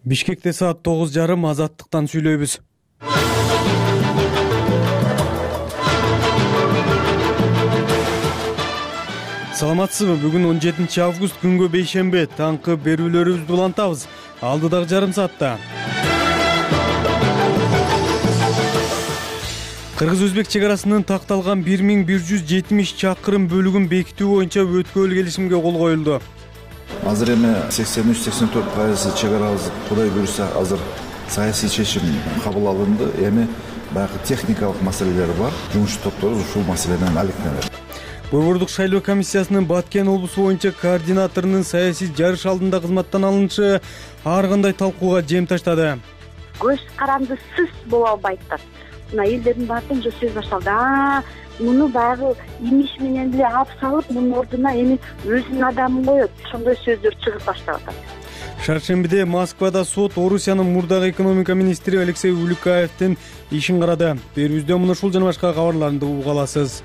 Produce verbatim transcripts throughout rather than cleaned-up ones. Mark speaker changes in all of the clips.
Speaker 1: Бишкекте саат тогуз жарым Азаттыктан сүйлөйбүз. Саламатсызбы? Бүгүн он жетинчи август күнгө бейшембе. Таңкы берүүлөрүбүздү улантабыз. Алдыдагы жарым саатта. Кыргыз-Өзбек чек арасынын такталган бир миң бир жүз жетимиш чакырым бөлүгүн бекитүү боюнча өткөл келишимге кол коюлду.
Speaker 2: Азыр эми сексен үч сексен төрт пайызы чек арабыз Кудай буюрса азыр саясий чечим кабыл алынды. Эми баягы техникалык маселелер бар. Жумуш топтору ушул маселе менен алектенет.
Speaker 1: Борбордук шайлоо комиссиясынын Баткен облусу боюнча координаторунун саясий жарыш алдында кызматтан алынышы ар кандай талкууга жем таштады.
Speaker 3: Көз карандысыз боло албайт да. Мына элдердин баардыгы уже сөз башталды. А, муну баягы имиш менен эле алып салып, мунун ордуна эми өзүнүн адамын коет. Ошондой сөздөр чыгып баштап атат.
Speaker 1: Шаршембиде Москвада сот Орусиянын мурдагы экономика министри Алексей Улюкаевдин ишин карады. Берүүбүздө муну ушул жана башка кабарларды угуп аласыз.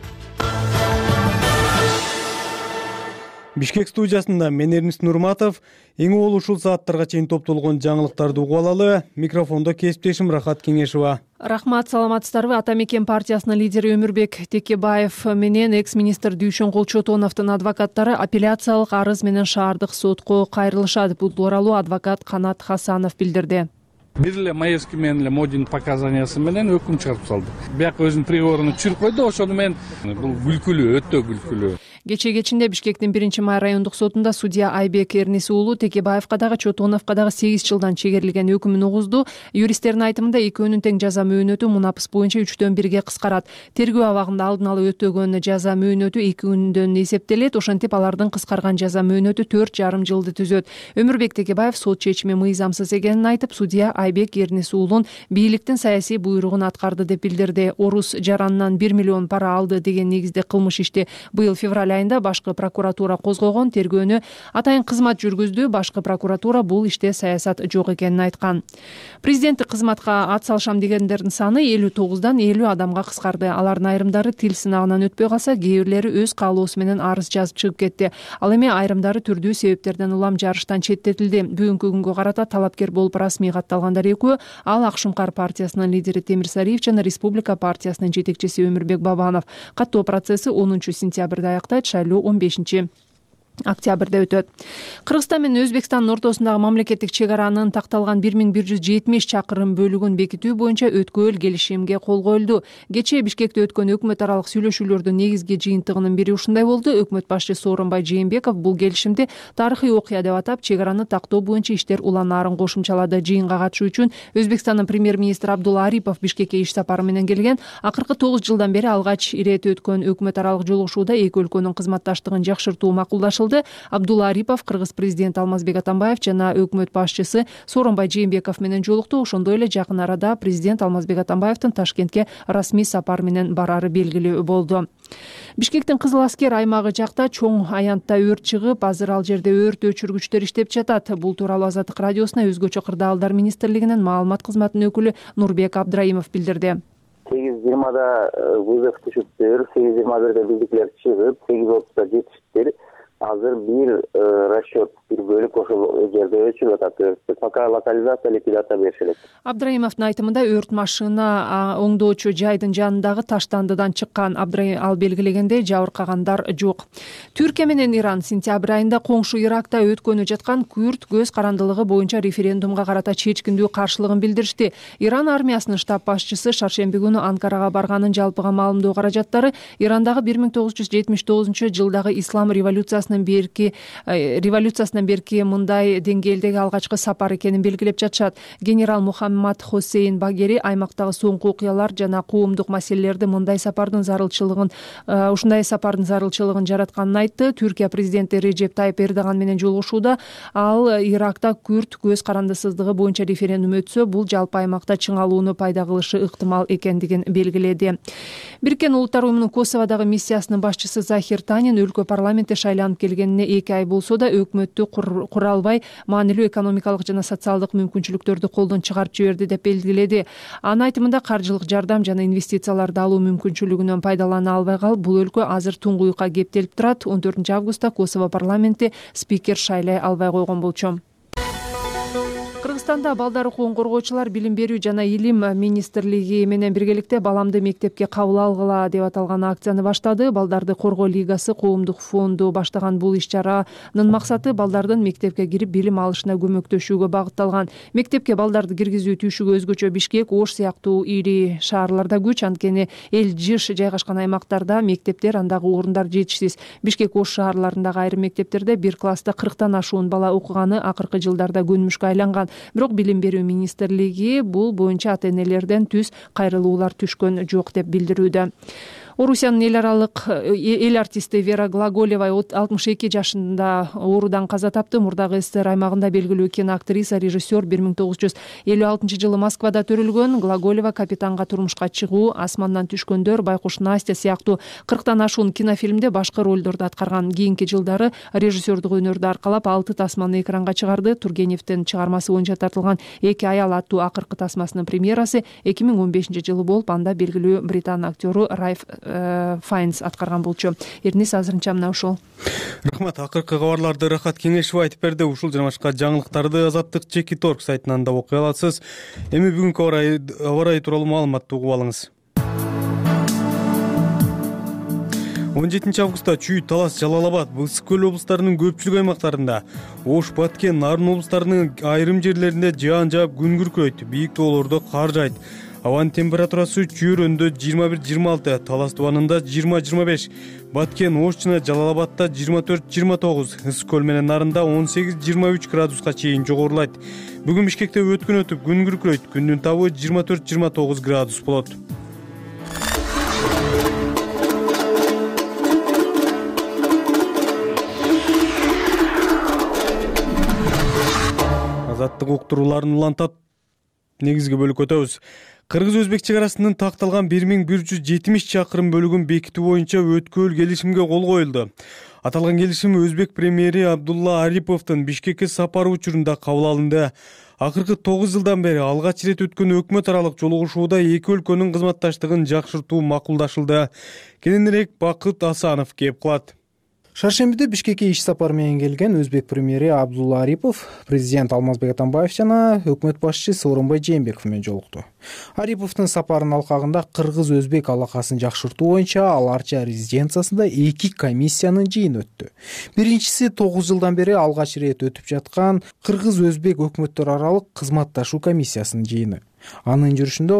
Speaker 1: Бишкек студиясында мен Эрнис Нурматов. Эң угул ушул сааттарга чейин топтолгон жаңылыктарды угуп алалы. Микрофондо кесиптешим Рахат Кеңешова.
Speaker 4: Рахмат, саламатсыздарбы? Атамекен партиясынын лидери Өмүрбек Текебаев менен экс-министр Дүйшөнгул Чотоновдун адвокаттары апелляциялык арыз менен шаардык сотко кайрылышат. Бул тууралуу адвокат Канат Хасанов билдирди.
Speaker 5: Бир эле Маевский менен эле Модин показаниясы менен өкүм чыгарып салды. Бияк өзүнүн приговорун түшүрүп койду, ошону менен бул күлкүлүү, өтө күлкүлүү.
Speaker 4: Кече кечинде Бишкектин биринчи май райондук сотунда судья Айбек Эрнис уулу Текебаевка дагы Чотоновко дагы сегиз жылдан чегерилген өкүмүн угузду. Юристтердин айтымында экөөнүн тең жаза мөөнөтү мунапыс боюнча үчтөн бирге кыскарат. Тергөө абагында алдын ала өтөгөн жаза мөөнөтү эки күндөн эсептелет. Ошентип алардын кыскарган жаза мөөнөтү төрт жарым жылды түзөт. Өмүрбек Текебаев сот чечими мыйзамсыз экенин айтып, судья Айбек Эрнис уулун бийликтин саясий буйругун аткарды деп билдирди. Орус жаранынан бир миллион пара алды деген негизде кылмыш ишти быйыл февраль айында башкы прокуратура козгогон. Тергөөнү атайын кызмат жүргүздү. Башкы прокуратура бул иште саясат жок экенин айткан. Президенттик кызматка ат салышам дегендердин саны элүү тогуздан элүү адамга кыскарды. Алардын айрымдары тил сынагынан өтпөй калса, кээ бирлери өз каалоосу менен арыз жазып чыгып кетти. Ал эми айрымдары түрдүү себептерден улам жарыштан четтетилди. Бүгүнкү күнгө карата талапкер болуп расмий катталгандар экөө. Ал Ак Шумкар партиясынын лидери Темир Сариев жана Республика партиясынын жетекчиси Өмүрбек Бабанов. Каттоо процесси онунчу сентябрда аяктайт. Шайлоо он бешинчи октябрда өтөт. Кыргызстан менен Өзбекстандын ортосундагы мамлекеттик чек аранын такталган бир миң бир жүз жетимиш чакырым бөлүгүн бекитүү боюнча өткөл келишимге кол коюлду. Кечээ Бишкекте өткөн өкмөт аралык сүйлөшүүлөрдүн негизги жыйынтыгынын бири ушундай болду. Өкмөт башчысы Сооронбай Жээнбеков бул келишимди тарыхый окуя деп атап, чек араны тактоо боюнча иштер уланаарын кошумчалады. Жыйынга катышуу үчүн Өзбекстандын премьер-министри Абдулла Арипов Бишкекке иш сапары менен келген. Акыркы тогуз жылдан бери алгач ирет өткөн өкмөт аралык жолугушууда эки өлкөнүн кызматташтыгын жакшыртуу макулдашылды. Абдулла Арипов Кыргыз президенти Алмазбек Атамбаев жана өкмөт башчысы Сооронбай Жээнбеков менен жолукту. Ошондой эле жакын арада президент Алмазбек Атамбаевдин Ташкентке расмий сапар менен барары белгилүү болду. Бишкектин Кызыл Аскер аймагы жакта чоң аянтта өрт чыгып, азыр ал жерде өрт өчүргүчтөр иштеп жатат. Бул тууралуу Азаттык радиосуна өзгөчө кырдаалдар министрлигинин маалымат кызматынын өкүлү Нурбек Абдраимов билдирди.
Speaker 6: сегиз жыйырмада вызов түшүптүр, сегиз жыйырма бирде биздикилер чыгып, сегиз отузда жетиштир. Азыр бир расчет, бир бөлүк ошол жерде өчүрүп атат. Пока локализация, ликвидация беришет.
Speaker 4: Абдраимовдун айтымында өрт машина оңдоочу жайдын жанындагы таштандыдан чыккан. Абдраим ал белгилегендей жабыркагандар жок. Түркия менен Иран сентябрь айында коңшу Иракта өткөнү жаткан күрд көз карандылыгы боюнча референдумга карата чечкиндүү каршылыгын билдиришти. Иран армиясынын штаб башчысы шаршемби күнү Анкарага барганын жалпыга маалымдоо каражаттары Ирандагы бир миң тогуз жүз жетимиш тогузунчу жылдагы ислам революциясынын берки революциясынан берки мындай деңгээлдеги алгачкы сапар экенин белгилеп жатышат. Генерал Мухаммад Хосейн Багери аймактагы соңку окуялар жана коомдук маселелерди мындай сапардын зарылчылыгын ушундай сапардын зарылчылыгын жаратканын айтты. Түркия президенти Режеп Тайып Эрдоган менен жолугушууда ал Иракта күрд көз карандысыздыгы боюнча референдум өтсө, бул жалпы аймакта чыңалууну пайда кылышы ыктымал экендигин белгиледи. Бириккен Улуттар уюмунун Косоводагы миссиясынын башчысы Захир Танин өлкө парламентте шайланып келгенине эки ай болсо да өкмөттү кура албай, маанилүү экономикалык жана социалдык мүмкүнчүлүктөрдү колдон чыгарып жиберди деп белгиледи. Анын айтымында каржылык жардам жана инвестицияларды алуу мүмкүнчүлүгүнөн пайдалана албай калып, бул өлкө азыр туңгуюкка кептелип турат. он төртүнчү августта Косово парламенти спикер шайлай албай койгон болчу. Кыргызстанда балдар укугун коргоочулар билим берүү жана илим министрлиги менен биргеликте баламды мектепке кабыл алгыла деп аталган акцияны баштады. Балдарды коргоо лигасы коомдук фонду баштаган бул иш-чаранын максаты балдардын мектепке кирип билим алышына көмөктөшүүгө багытталган. Мектепке балдарды киргизүү түйшүгү өзгөчө Бишкек, Ош сыяктуу ири шаарларда күч, анткени эл жыш жайгашкан аймактарда мектептер, андагы орундар жетишсиз. Бишкек, Ош шаарларындагы айрым мектептерде бир класста кырктан ашуун бала окуганы акыркы жылдарда көнмүшкө айланган. Бирок билим берүү министрлиги бул боюнча ата энелерден түз кайрылуулар түшкөн жок деп билдирүүдө. Орусиянын эл аралык эл артисти Вера Глаголева алтымыш эки жашында оорудан каза тапты. Мурдагы СССР аймагында белгилүү киноактриса, режиссер бир миң тогуз жүз элүү алтынчы жылы Москвада төрөлгөн. Глаголева «Капитанга турмушка чыгуу», «Асмандан түшкөндөр», «Байкуш Настя» сыяктуу кырктан ашуун кинофильмде башкы ролдорду аткарган. Кийинки жылдары режиссердук өнөрдү аркалап алты тасманы экранга чыгарды. Тургеневдин чыгармасы боюнча тартылган «Эки аял» аттуу акыркы тасмасынын премьерасы эки миң он бешинчи жылы болуп, анда белгилүү британ актёру Райф Файнс аткарган болчу. Эрнис азырынча мына ушул.
Speaker 1: Рахмат. Акыркы кабарларды Рахат Кеңешева айтып берди. Ушул жана башка жаңылыктарды Азаттык Чекит Орг сайтынан да окуй аласыз. Эми бүгүнкү аба ырайы тууралуу маалыматты угуп алыңыз. он жетинчи августта Чүй, Талас, Жалал Абад, Ысык көл облустарынын көпчүлүк аймактарында, Ош, Баткен, Нарын облустарынын айрым жерлеринде жаан жаап күн күркөйт, бийик тоолордо кар жайт. Абанын температурасы Чүйрөндө жыйырма бир жыйырма алты, Талас тубанында жыйырма жыйырма беш, Баткен, Ош жана Жалал Абадта жыйырма төрт жыйырма тогуз, Ысык көл менен Нарында он сегиз жыйырма үч градуска чейин жогорулайт. Бүгүн Бишкекте өткөн өтүп күн күркөйт, күндүн табы жыйырма төрт жыйырма тогуз градус болот. Азаттык уктурууларын улантат негизги бөлүккө өтөбүз. Кыргыз-Өзбек чек арасынын такталган бир миң бир жүз жетимиш чакырым бөлүгүн бекитүү боюнча өткөл келишимге кол коюлду. Аталган келишим Өзбек премьери Абдулла Ариповдун Бишкекке сапары учурунда кабыл алынды. Акыркы тогуз жылдан бери алгач ирет өткөн өкмөт аралык жолугушууда эки өлкөнүн кызматташтыгын жакшыртуу макулдашылды. Кененирээк Бакыт Асанов кеп кылат.
Speaker 7: Шаршембиде Бишкекке иш сапары менен келген Өзбек премьери Абдулла Арипов президент Алмазбек Атамбаев жана өкмөт башчысы Сооронбай Жээнбеков менен жолукту. Ариповдун сапарынын алкагында кыргыз-өзбек алакасын жакшыртуу боюнча Ал Арча резиденциясында эки комиссиянын жыйыны өттү. Биринчиси тогуз жылдан бери алгач ирет өтүп жаткан кыргыз-өзбек өкмөттөр аралык кызматташуу комиссиясынын жыйыны. Анын жүрүшүндө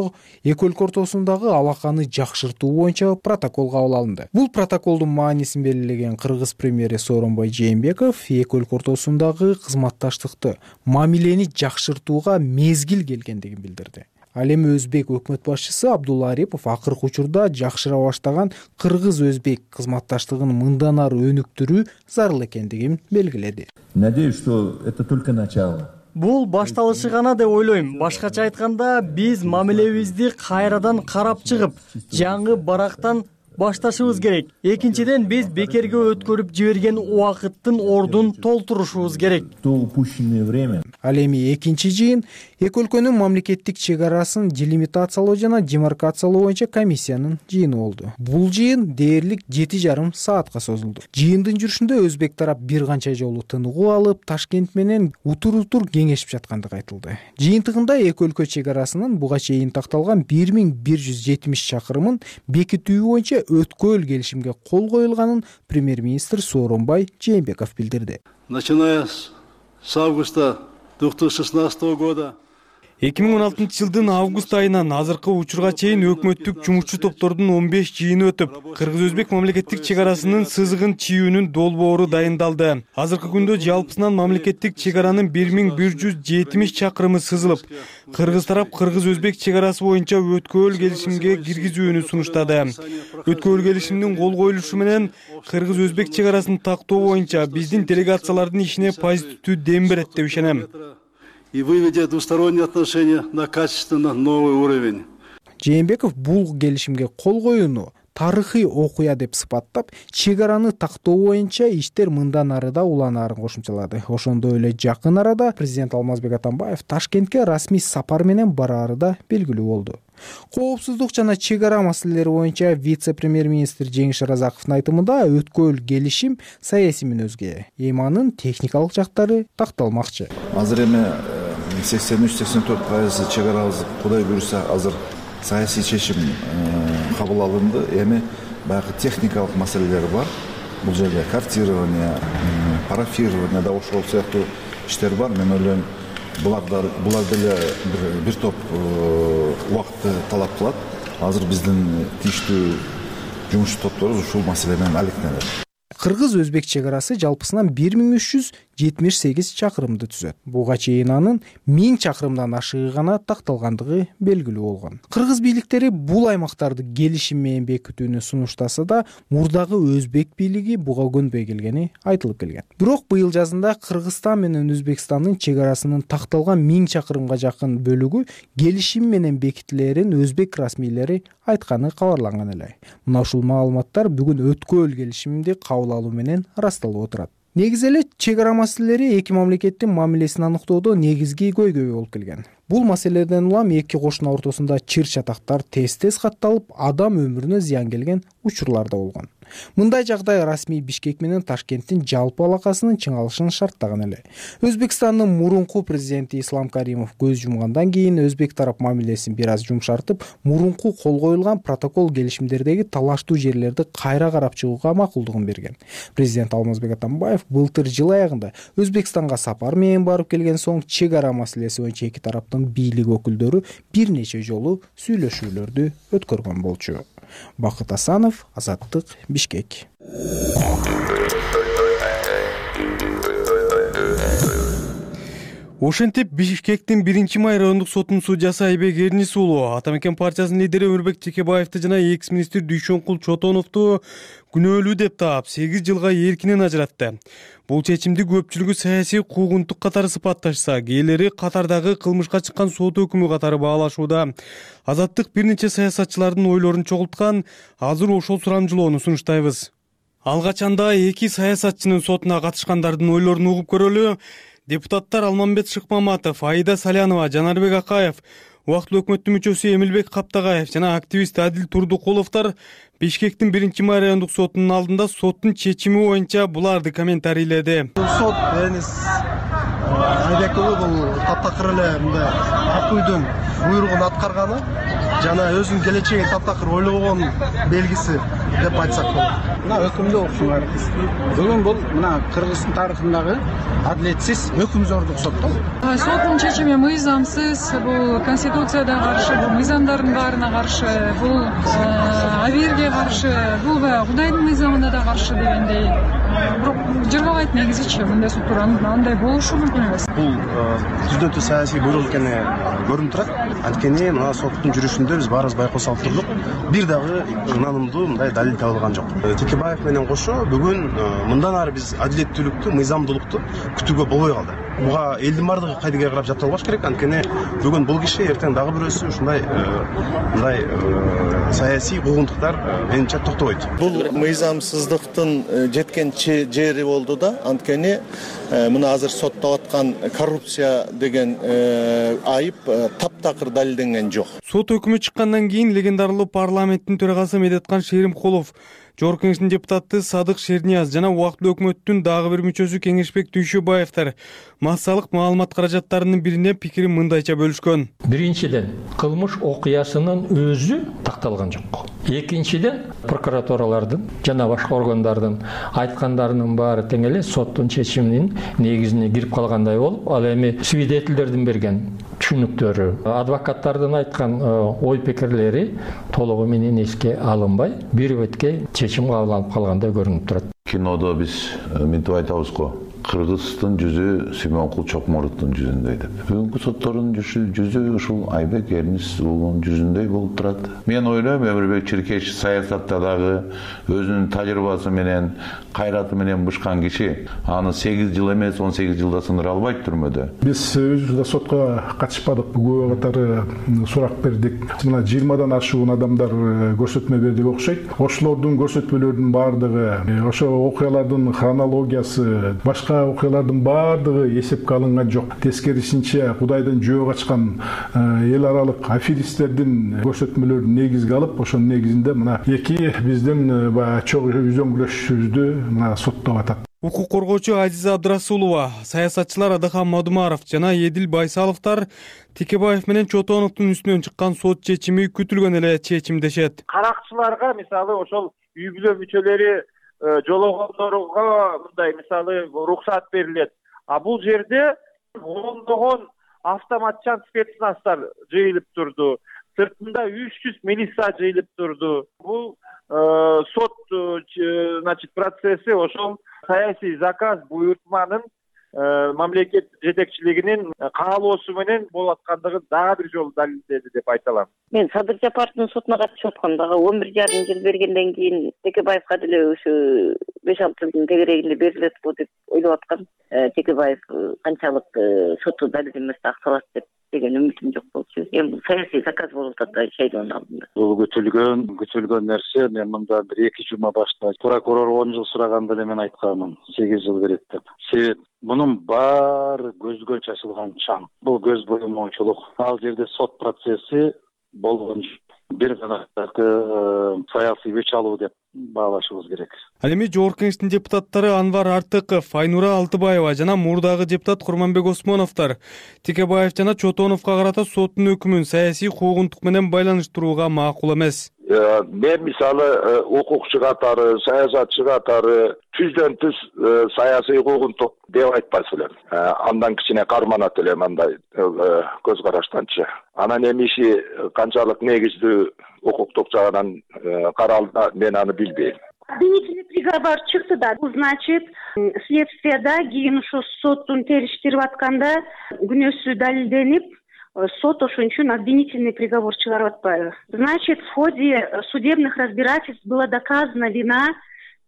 Speaker 7: эки өлкө ортосундагы алаканы жакшыртуу боюнча протокол кабыл алынды. Бул протоколдун маанисин белгилеген кыргыз премьери Сооронбай Жээнбеков эки өлкө ортосундагы кызматташтыкты, мамилени жакшыртууга мезгил келгендигин билдирди. Ал эми өзбек өкмөт башчысы Абдулла Арипов акыркы учурда жакшыра баштаган кыргыз-өзбек кызматташтыгын мындан ары өнүктүрүү зарыл экендигин белгиледи.
Speaker 8: Надеюсь, что это только начало.
Speaker 9: Бул башталышы гана деп ойлойм. Башкача айтканда, биз мамилебизди кайрадан карап чыгып, жаңы барактан башташыбыз керек. Экинчиден, биз бекерге өткөрүп жиберген убакыттын ордун толтурушубуз керек.
Speaker 8: То упущенное время.
Speaker 7: Ал эми экинчи жыйын эки өлкөнүн мамлекеттик чек арасын делимитациялоо жана демаркациялоо боюнча комиссиянын жыйыны болду. Бул жыйын дээрлик жети жарым саатка созулду. Жыйындын жүрүшүндө өзбек тарап бир канча жолу тыныгуу алып, Ташкент менен утур-утур кеңешип жаткандыгы айтылды. Жыйынтыгында эки өлкө чек арасынын буга чейин такталган бир миң бир жүз жетимиш чакырымын бекитүү боюнча өткөл келишимге кол коюлганын премьер-министр Сооронбай Жээнбеков билдирди.
Speaker 10: Начиная с августа две тысячи шестнадцатого года
Speaker 1: эки миң он алтынчы жылдын август айынан азыркы учурга чейин өкмөттүк жумушчу топтордун он беш жыйыны өтүп, кыргыз-өзбек мамлекеттик чек арасынын сызыгын чийүүнүн долбоору дайындалды. Азыркы күндө жалпысынан мамлекеттик чек аранын бир миң бир жүз жетимиш чакырымы сызылып, кыргыз тарап кыргыз-өзбек чек арасы боюнча өткөл келишимге киргизүүнү сунуштады. Өткөл келишимдин кол коюлушу менен кыргыз-өзбек чек арасын тактоо боюнча биздин делегациялардын ишине позитивдүү дем берет деп ишенем.
Speaker 10: И выведя двусторонние отношения на качественно новый уровень.
Speaker 7: Жээнбеков бул келишимге кол коюуну тарыхый окуя деп сыпаттап, чек араны тактоо боюнча иштер мындан ары да уланаарын кошумчалады. Ошондой эле жакын арада президент Алмазбек Атамбаев Ташкентке расмий сапар менен бараары да белгилүү болду. Коопсуздук жана чек ара маселелери боюнча вице-премьер-министр Жеңиш Разаковдун айтымында өткөл келишим саясий мүнөзгө, эми анын техникалык жактары такталмакчы.
Speaker 2: Азыр эми сексен үч сексен төрт пайызы чек арабыз Кудай буюрса азыр саясий чечим кабыл алынды. Эми баягы техникалык маселелер бар. Бул жерде картирование, парафирование да ошол сыяктуу иштер бар. Мен ойлойм, булар булар деле бир, бир топ убакытты талап кылат. Азыр биздин тийиштүү жумуш топторубуз ушул маселе менен алектенет.
Speaker 7: Кыргыз-өзбек чек арасы жалпысынан бир миң үч жүз жетимиш сегиз чакырымды түзөт. Буга чейин анын миң чакырымдан ашыгы гана такталгандыгы белгилүү болгон. Кыргыз бийликтери бул аймактарды келишим менен бекитүүнү сунуштаса да, мурдагы өзбек бийлиги буга көнбөй келгени айтылып келген. Бирок быйыл жазында Кыргызстан менен Өзбекстандын чек арасынын такталган миң чакырымга жакын бөлүгү келишим менен бекитилерин өзбек расмийлери айтканы кабарланган эле. Мына ушул маалыматтар бүгүн өткөөл келишимди кабыл алуу менен ырасталып отурат. Негизи эле чек ара маселелери эки мамлекеттин мамилесин аныктоодо негизги көйгөй болуп келген. Бул маселеден улам эки кошуна ортосунда чыр чатактар тез-тез катталып, адам өмүрүнө зыян келген учурлар да болгон. Мындай жагдай расмий Бишкек менен Ташкенттин жалпы алакасынын чыңалышын шарттаган эле. Өзбекстандын мурунку президенти Ислам Каримов көз жумгандан кийин өзбек тарап мамилесин бир аз жумшартып, мурунку кол коюлган протокол келишимдердеги талаштуу жерлерди кайра карап чыгууга макулдугун берген. Президент Алмазбек Атамбаев былтыр жыл аягында Өзбекстанга сапар менен барып келген соң чек ара маселеси боюнча эки тараптын бийлик өкүлдөрү бир нече жолу сүйлөшүүлөрдү өткөргөн болчу. Бакыт Асанов, Азаттык, Бишкек.
Speaker 1: Ошентип Бишкектин биринчи май райондук сотунун судьясы Айбек Эрнис уулу Ата-Мекен партиясынын лидери Өмүрбек Текебаевди жана экс-министр Дүйшөнкул Чотоновду күнөөлүү деп таап сегиз жылга эркинен ажыратты. Бул чечимди көпчүлүгү саясий куугунтук катары сыпатташса, кээлери катардагы кылмышка чыккан сот өкүмү катары баалашууда. Азаттык бир нече саясатчылардын ойлорун чогулткан, азыр ошол сурамжылоону сунуштайбыз. Алгачанда эки саясатчынын сотуна катышкандардын ойлорун угуп көрөлү. Депутаттар Алмамбет Шыкмаматов, Аида Салянова, Жанарбек Акаев, убактылуу өкмөттүн мүчөсү Эмилбек Каптагаев жана активист Адил Турдукуловдор Бишкектин биринчи май райондук сотунун алдында соттун чечими боюнча буларды комментарийледи.
Speaker 11: Сот Эрнис Айбек уулу бул таптакыр эле мындай акуйдун буйругун аткарганы жана өзүнүн келечегин таптакыр ойлобогон белгиси деп айтсак болот.
Speaker 12: Мына өкүмдү окушуңар. Бүгүн бул мына Кыргыздын тарыхындагы адилетсиз өкүм зордук сот да.
Speaker 13: Соттун чечими мыйзамсыз, бул конституцияга каршы, бул мыйзамдардын баарына каршы, бул абийирге каршы, бул Кудайдын мыйзамына да каршы дегендей. Бирок жыргабайт негизичи мындай соттор андай болушу мүмкүн эмес.
Speaker 11: Бул түздөн түз саясий буйрук экени көрүнүп турат. Анткени мына соттун жүрүшүндө биз баарыбыз байкоосо алып турдук. Бир дагы ынанымдуу мындай далил табылган жок. Текебаев менен кошо бүгүн мындан ары биз адилеттүүлүктү, мыйзамдуулукту күтүүгө болбой калды. Буга элдин баардыгы кайдыгер карап жапталбаш керек. Анткени бүгүн бул киши, эртең дагы бирөөсү ушундай мындай саясий куугунтуктар менимче токтобойт.
Speaker 14: Бул мыйзамсыздыктын жеткен жери болду да. Анткени мына азыр соттоп аткан коррупция деген айып таптакыр далилденген жок.
Speaker 1: Сот өкүмү чыккандан кийин легендарлуу парламенттин төрагасы Медеткан Шеримкулов, Жогорку Кеңештин депутаты Садык Шернияз жана убактылуу өкмөттүн дагы бир мүчөсү Кеңешбек Дүйшөбаевдер массалык маалымат каражаттарынын бирине пикирин мындайча бөлүшкөн.
Speaker 15: Биринчиден, кылмыш окуясынын өзү такталган жок. Экинчиден, прокуратуралардын жана башка органдардын айткандарынын баары тең эле соттун чечиминин негизине кирип калгандай болуп, ал эми свидетелдердин берген түшүнүктөрү, адвокаттардын айткан ой пикирлери толугу менен эске алынбай, бир бетке чечим кабыл алып калгандай көрүнүп турат.
Speaker 16: Кинодо биз мынтип айтабыз го, Кыргыздын жүзү Симонкул Чокморовдун жүзүндөй деп. Бүгүнкү соттордун жүзү ушул Айбек Эрнис уулунун жүзүндөй болуп турат. Мен ойлойм, Өмүрбек Чиркеш саясатта дагы өзүнүн тажрыйбасы менен, кайраты менен бышкан киши, аны сегиз жыл эмес, он сегиз жылда сындыра албайт түрмөдө.
Speaker 17: Биз өзүбүз да сотко катышпадык, күбө катары сурак бердик. Мына жыйырмадан ашуун адамдар көрсөтмө берди окшойт. Ошолордун көрсөтмөлөрүнүн баардыгы, ошо окуялардын хронологиясы, башка окуялардын баардыгы эсепке алынган жок. Тескерисинче Кудайдын жөө ачкан эл аралык аферисттердин көрсөтмөлөрүн негизге алып, ошонун негизинде мына эки биздин баягы чогуу үзөңгүлөшүүбүздү мына соттоп атат.
Speaker 1: Укук коргоочу Азиза Абдрасулова, саясатчылар Адахан Мадумаров жана Эдил Байсаловдор Текебаев менен Чотоновдун үстүнөн чыккан сот чечими күтүлгөн эле чечим дешет.
Speaker 18: Каракчыларга мисалы ошол үй бүлө мүчөлөрү жологондорго мындай мисалы уруксат берилет. А бул жерде ондогон автоматчан спецназдар жыйылып турду. Сыртында үч жүз милиция жыйылып турду. Бул сот значит процесси ошол саясий заказ буйртманын мамлекет жетекчилигинин каалоосу менен болуп аткандыгын дагы бир жолу далилдеди деп айта алам.
Speaker 19: Мен Садыр Жапаровдун сотуна катышып аткам дагы он бир жарым жыл бергенден кийин Текебаевга деле ушу беш алты жылдын тегерегинде берилетпи деп ойлоп аткам. Текебаев канчалык соту далил эмес аксалат деп деген үмүтүм жок болчу. Эми бул саясий заказ болуп атат шайлоонун алдында.
Speaker 18: Бул күтүлгөн, күтүлгөн нерсе. Мен мында бир эки жума башта прокурор он жыл сураганда эле мен айтканмын, сегиз жыл берет деп. Себеп мунун баары көзгө чачылган чаң. Бул көз боюмоочулук. Ал жерде сот процесси болгон бир гана саясий өч алуу деп баалашыбыз керек.
Speaker 1: Ал эми Жогорку Кеңештин депутаттары Анвар Артыков, Айнура Алтыбаева жана мурдагы депутат Курманбек Осмоновдор Текебаев жана Чотоновго карата соттун өкүмүн саясий куугунтук менен байланыштырууга макул эмес.
Speaker 20: Мен мисалы укукчу катары, саясатчы катары түздөн түз саясий куугунтук деп айтпас элем. Андан кичине карманат элем андай көз караштанчы. Анан эми иши канчалык негиздүү укуктук жагынан каралды, мен аны билбейм.
Speaker 3: Обвинительный приговор чыкты да. Бул значит, следствияда кийин ушу соттун териштирип атканда күнөөсү далилденип, сот ошон үчүн обвинительный приговор чыгарып атпайбы. Значит, в ходе судебных разбирательств была доказана вина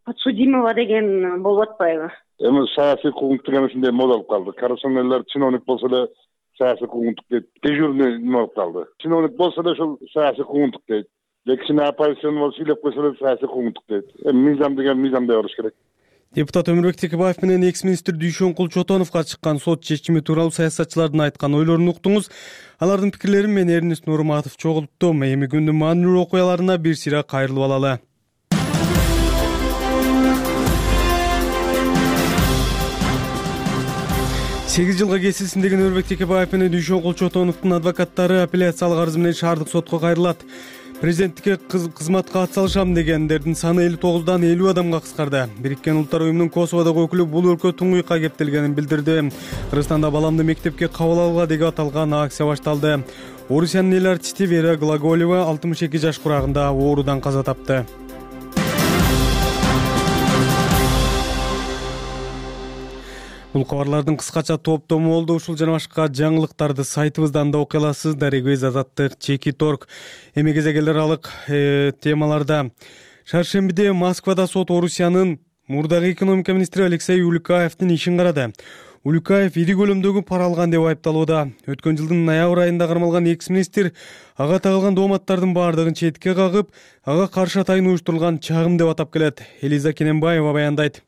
Speaker 3: подсудимого деген болуп атпайбы.
Speaker 20: Эми саясий куугунтук эмесинде болуп калды. Коррупционерлер чиновник болсо эле саясий куугунтук дейт. Дежурный неме болуп калды. Чиновник болсо эле ошол саясий куугунтук дейт. Кичине оппозицион болсо сүйлөп койсо эле саясий куугунтук дейт. Эми мыйзам деген мыйзамдай болуш керек.
Speaker 1: Депутат Өмүрбек Текебаев менен экс-министр Дүйшөнкул Чотоновго чыккан сот чечими тууралуу саясатчылардын айткан ойлорун уктуңуз. Алардын пикирлерин мен Эрнест Нурматов чогулттум. Эми күндүн маанилүү окуяларына бир сыйра кайрылып алалы. сегиз жылга кесилсин деген Өмүрбек Текебаев менен Дүйшөнкул Чотоновдун адвокаттары апелляциялык арыз менен шаардык сотко кайрылат. Президенттикке кызматка атсалышам дегендердин саны элүү тогуздан элүү адамга кыскарды. Бириккен Улуттар уюмунун Косоводогу өкүлү бул өлкө туңгуйка кептелгенин билдирди. Кыргызстанда баламды мектепке кабыл алууга деп аталган акция башталды. Орусиянын эл артисти Вера Глаголева алтымыш эки жаш курагында оорудан каза тапты. Бул кабарлардын кыскача топтому болду. Ушул жана башка жаңылыктарды сайтыбыздан да окуй аласыздар. Эгез Азаттык, Чеки Торг. Эми кезегелер алык темаларда. Шаршембиде Москвада сот Орусиянын мурдагы экономика министри Алексей Улюкаевдин ишин карады. Улюкаев ири көлөмдөгү пара алган деп айыпталууда. Өткөн жылдын ноябрь айында кармалган экс-министр ага тагылган дооматтардын баардыгын четке кагып, ага каршы атайын уюштурулган чагым деп атап келет. Элиза Кененбаева баяндайт.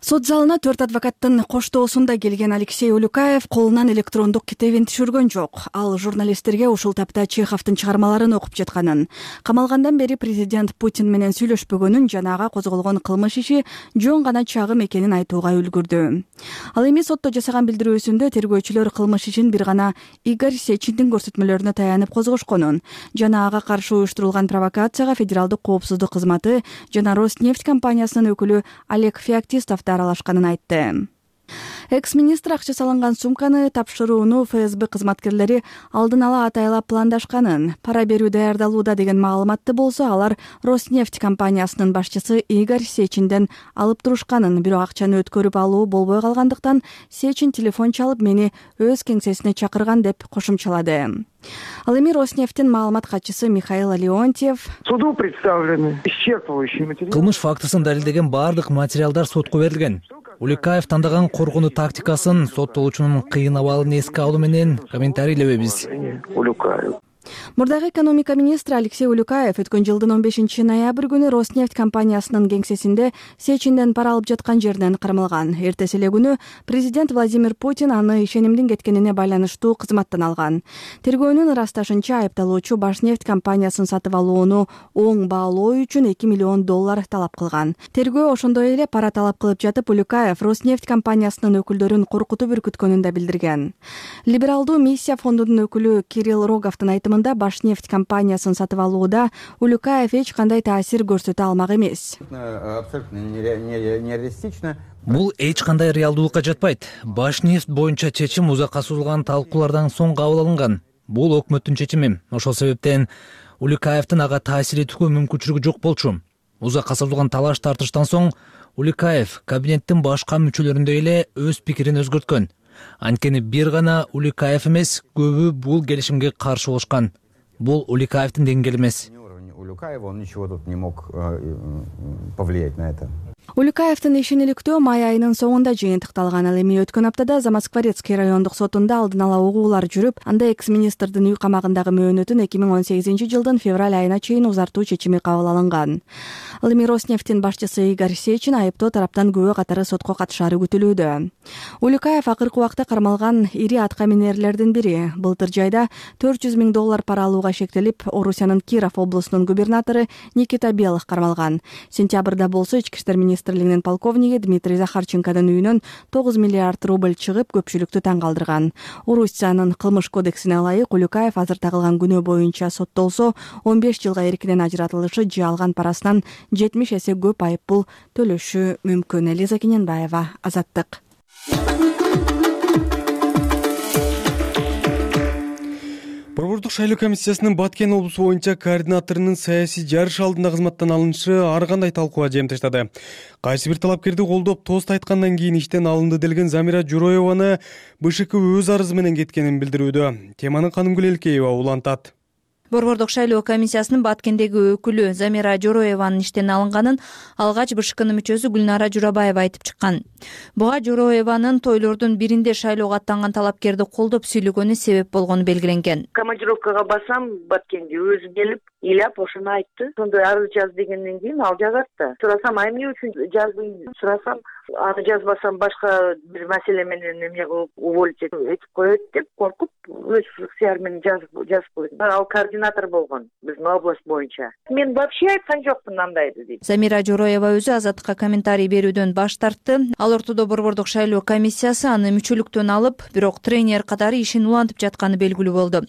Speaker 21: Сот залына төрт адвокаттын коштоосунда келген Алексей Улюкаев колунан электрондук китебин түшүргөн жок. Ал журналисттерге ушул тапта Чеховдун чыгармаларын окуп жатканын, камалгандан бери президент Путин менен сүйлөшпөгөнүн жана ага козголгон кылмыш иши жөн гана чагым экенин айтууга үлгүрдү. Ал эми сотто жасаган билдирүүсүндө тергөөчүлөр кылмыш ишин бир гана Игорь Сечиндин көрсөтмөлөрүнө таянып козгошконун жана ага каршы уюштурулган провокацияга федералдык коопсуздук кызматы жана Роснефть компаниясынын өкүлү Олег Феоктистов аралашканын айтты. Экс-министр акча салынган сумканы тапшырууну эф эс бэ кызматкерлери алдын ала атайлап пландашканын, пара берүү даярдалууда деген маалыматты болсо алар Роснефть компаниясынын башчысы Игорь Сечинден алып турушканын, бирок акчаны өткөрүп алуу болбой калгандыктан Сечин телефон чалып мени өз кеңсесине чакырган деп кошумчалады. Ал эми Роснефтьтин маалымат катчысы Михаил Леонтьев
Speaker 22: суду представлены исчерпывающие материалы.
Speaker 23: Кылмыш фактысын далилдеген баардык материалдар сотко берилген. Улюкаев тандаган коргонуу тактикасын, соттолуучунун кыйын абалын эске алуу менен комментарийлебейбиз.
Speaker 21: Мурдагы экономика министри Алексей Улюкаев өткөн жылдын он бешинчи ноябрь күнү Роснефть компаниясынын кеңсесинде Сечинден пара алып жаткан жеринен кармалган. Эртеси эле күнү президент Владимир Путин аны ишенимдин кеткенине байланыштуу кызматтан алган. Тергөөнүн ырасташынча, айыпталуучу Башнефть компаниясын сатып алууну оң баалоо үчүн эки миллион доллар талап кылган. Тергөө ошондой эле пара талап кылып жатып, Улюкаев Роснефть компаниясынын өкүлдөрүн коркутуп үркүткөнүн да билдирген. Либералдуу миссия фондунун өкүлү Кирилл Роговдун айтымында, Башнефть компаниясын сатып алууда Улюкаев эч кандай таасир көрсөтө алмак эмес.
Speaker 23: Бул эч кандай реалдуулукка жатпайт. Башнефть боюнча чечим узакка созулган талкуулардан соң кабыл алынган. Бул өкмөттүн чечими. Ошол себептен Улюкаевдин ага таасир этүүгө мүмкүнчүлүгү жок болчу. Узакка созулган талаш тартыштан соң Улюкаев кабинеттин башка мүчөлөрүндөй эле өз пикирин өзгөрткөн. Анткени бир гана Улюкаев эмес, көбү бул келишимге каршы болушкан. Бул Улюкаевдин деңгээли эмес.
Speaker 4: Улюкаев, он ничего тут не мог повлиять на это.
Speaker 21: Улюкаевдин ишин иликтөө май айынын соңунда жыйынтыкталган. Ал эми өткөн аптада Замоскворецкий райондук сотунда алдын ала угуулар жүрүп, анда экс-министрдин үй камагындагы мөөнөтүн эки миң он сегизинчи жылдын февраль айына чейин узартуу чечими кабыл алынган. Ал эми Роснефтьтин башчысы Игорь Сечин айыптоо тараптан күбө катары сотко катышаары күтүлүүдө. Улюкаев акыркы убакта кармалган ири атка минерлердин бири. Былтыр жайда төрт жүз миң доллар пара алууга шектелип, Орусиянын Киров облусунун губернатору Никита Белых кармалган. Сентябрда болсо ички иштер министрлигинин полковниги Дмитрий Захарченконун үйүнөн тогуз миллиард рубль чыгып, көпчүлүктү таң калтырган. Орусиянын кылмыш кодексине ылайык Улюкаев азыр тагылган күнөө боюнча соттолсо, он беш жылга эркинен ажыратылышы же алган парасынан жетимиш эсе көп айып пул төлөшү мүмкүн. Элиза Кененбаева, Азаттык.
Speaker 1: Борбордук шайлоо комиссиясынын Баткен облусу боюнча координаторунун саясий жарыш алдында кызматтан алынышы ар кандай талкууга жемтештады. Кайсы бир талапкерди колдоп, тост айткандан кийин иштен алынды делген Замира Журоеваны БШК өз арызы менен кеткенин билдирүүдө. Теманы Канымгүл Элкеева улантат.
Speaker 5: Борбордук шайлоо комиссиясынын Баткендеги өкүлү Замира Журоеванын иштен алынганын алгач БШКнын мүчөсү Гүлнара Журабаева айтып чыккан. Буга Журоеванын тойлордун биринде шайлоого аттанган талапкерди колдоп сүйлөгөнү себеп болгону белгиленген.
Speaker 19: Командировкага басам, Баткенге өзү келип, ыйлап ошону айтты. Сонда арыз жаз дегенден кийин ал жазат да. Сурасам, ай эмне үчүн жаздың? Сурасам, аны жазбасам башка бир маселе менен эмне кылып уволить этип коет деп коркуп, өз ыксыяры менен жазып жазып койдум. Ал координатор болгон биздин область боюнча. Мен вообще айткан жокмун андайды дейт.
Speaker 5: Замира Журоева өзү Азаттыкка комментарий берүүдөн баш тартты. Ал ортодо Борбордук шайлоо комиссиясы аны мүчөлүктөн алып, бирок тренер катары ишин улантып жатканы белгилүү болду.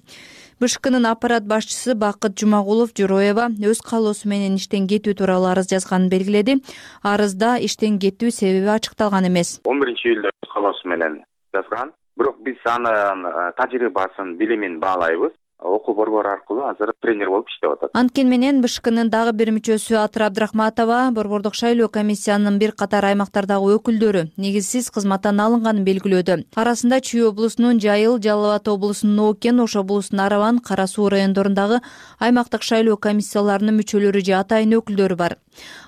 Speaker 5: БШКнын аппарат башчысы Бакыт Жумагулов Журоева өз каалоосу менен иштен кетүү тууралуу арыз жазганын белгиледи. Арызда иштен кетүү себеби ачыкталган эмес.
Speaker 6: он биринчи июлда өз каалоосу менен жазган. Бирок биз анын тажрыйбасын, билимин баалайбыз. Окуу борбору аркылуу азыр тренер болуп иштеп атат.
Speaker 5: Анткени менен БШКнын дагы бир мүчөсү Атыр Абдрахматова Борбордук шайлоо комиссиянын бир катар аймактардагы өкүлдөрү негизсиз кызматтан алынганын белгилөөдө. Арасында Чүй облусунун Жайыл, Жалал Абад облусунун Оокен, Ош облусунун Араван, Кара Суу райондорундагы аймактык шайлоо комиссияларынын мүчөлөрү же атайын өкүлдөрү бар.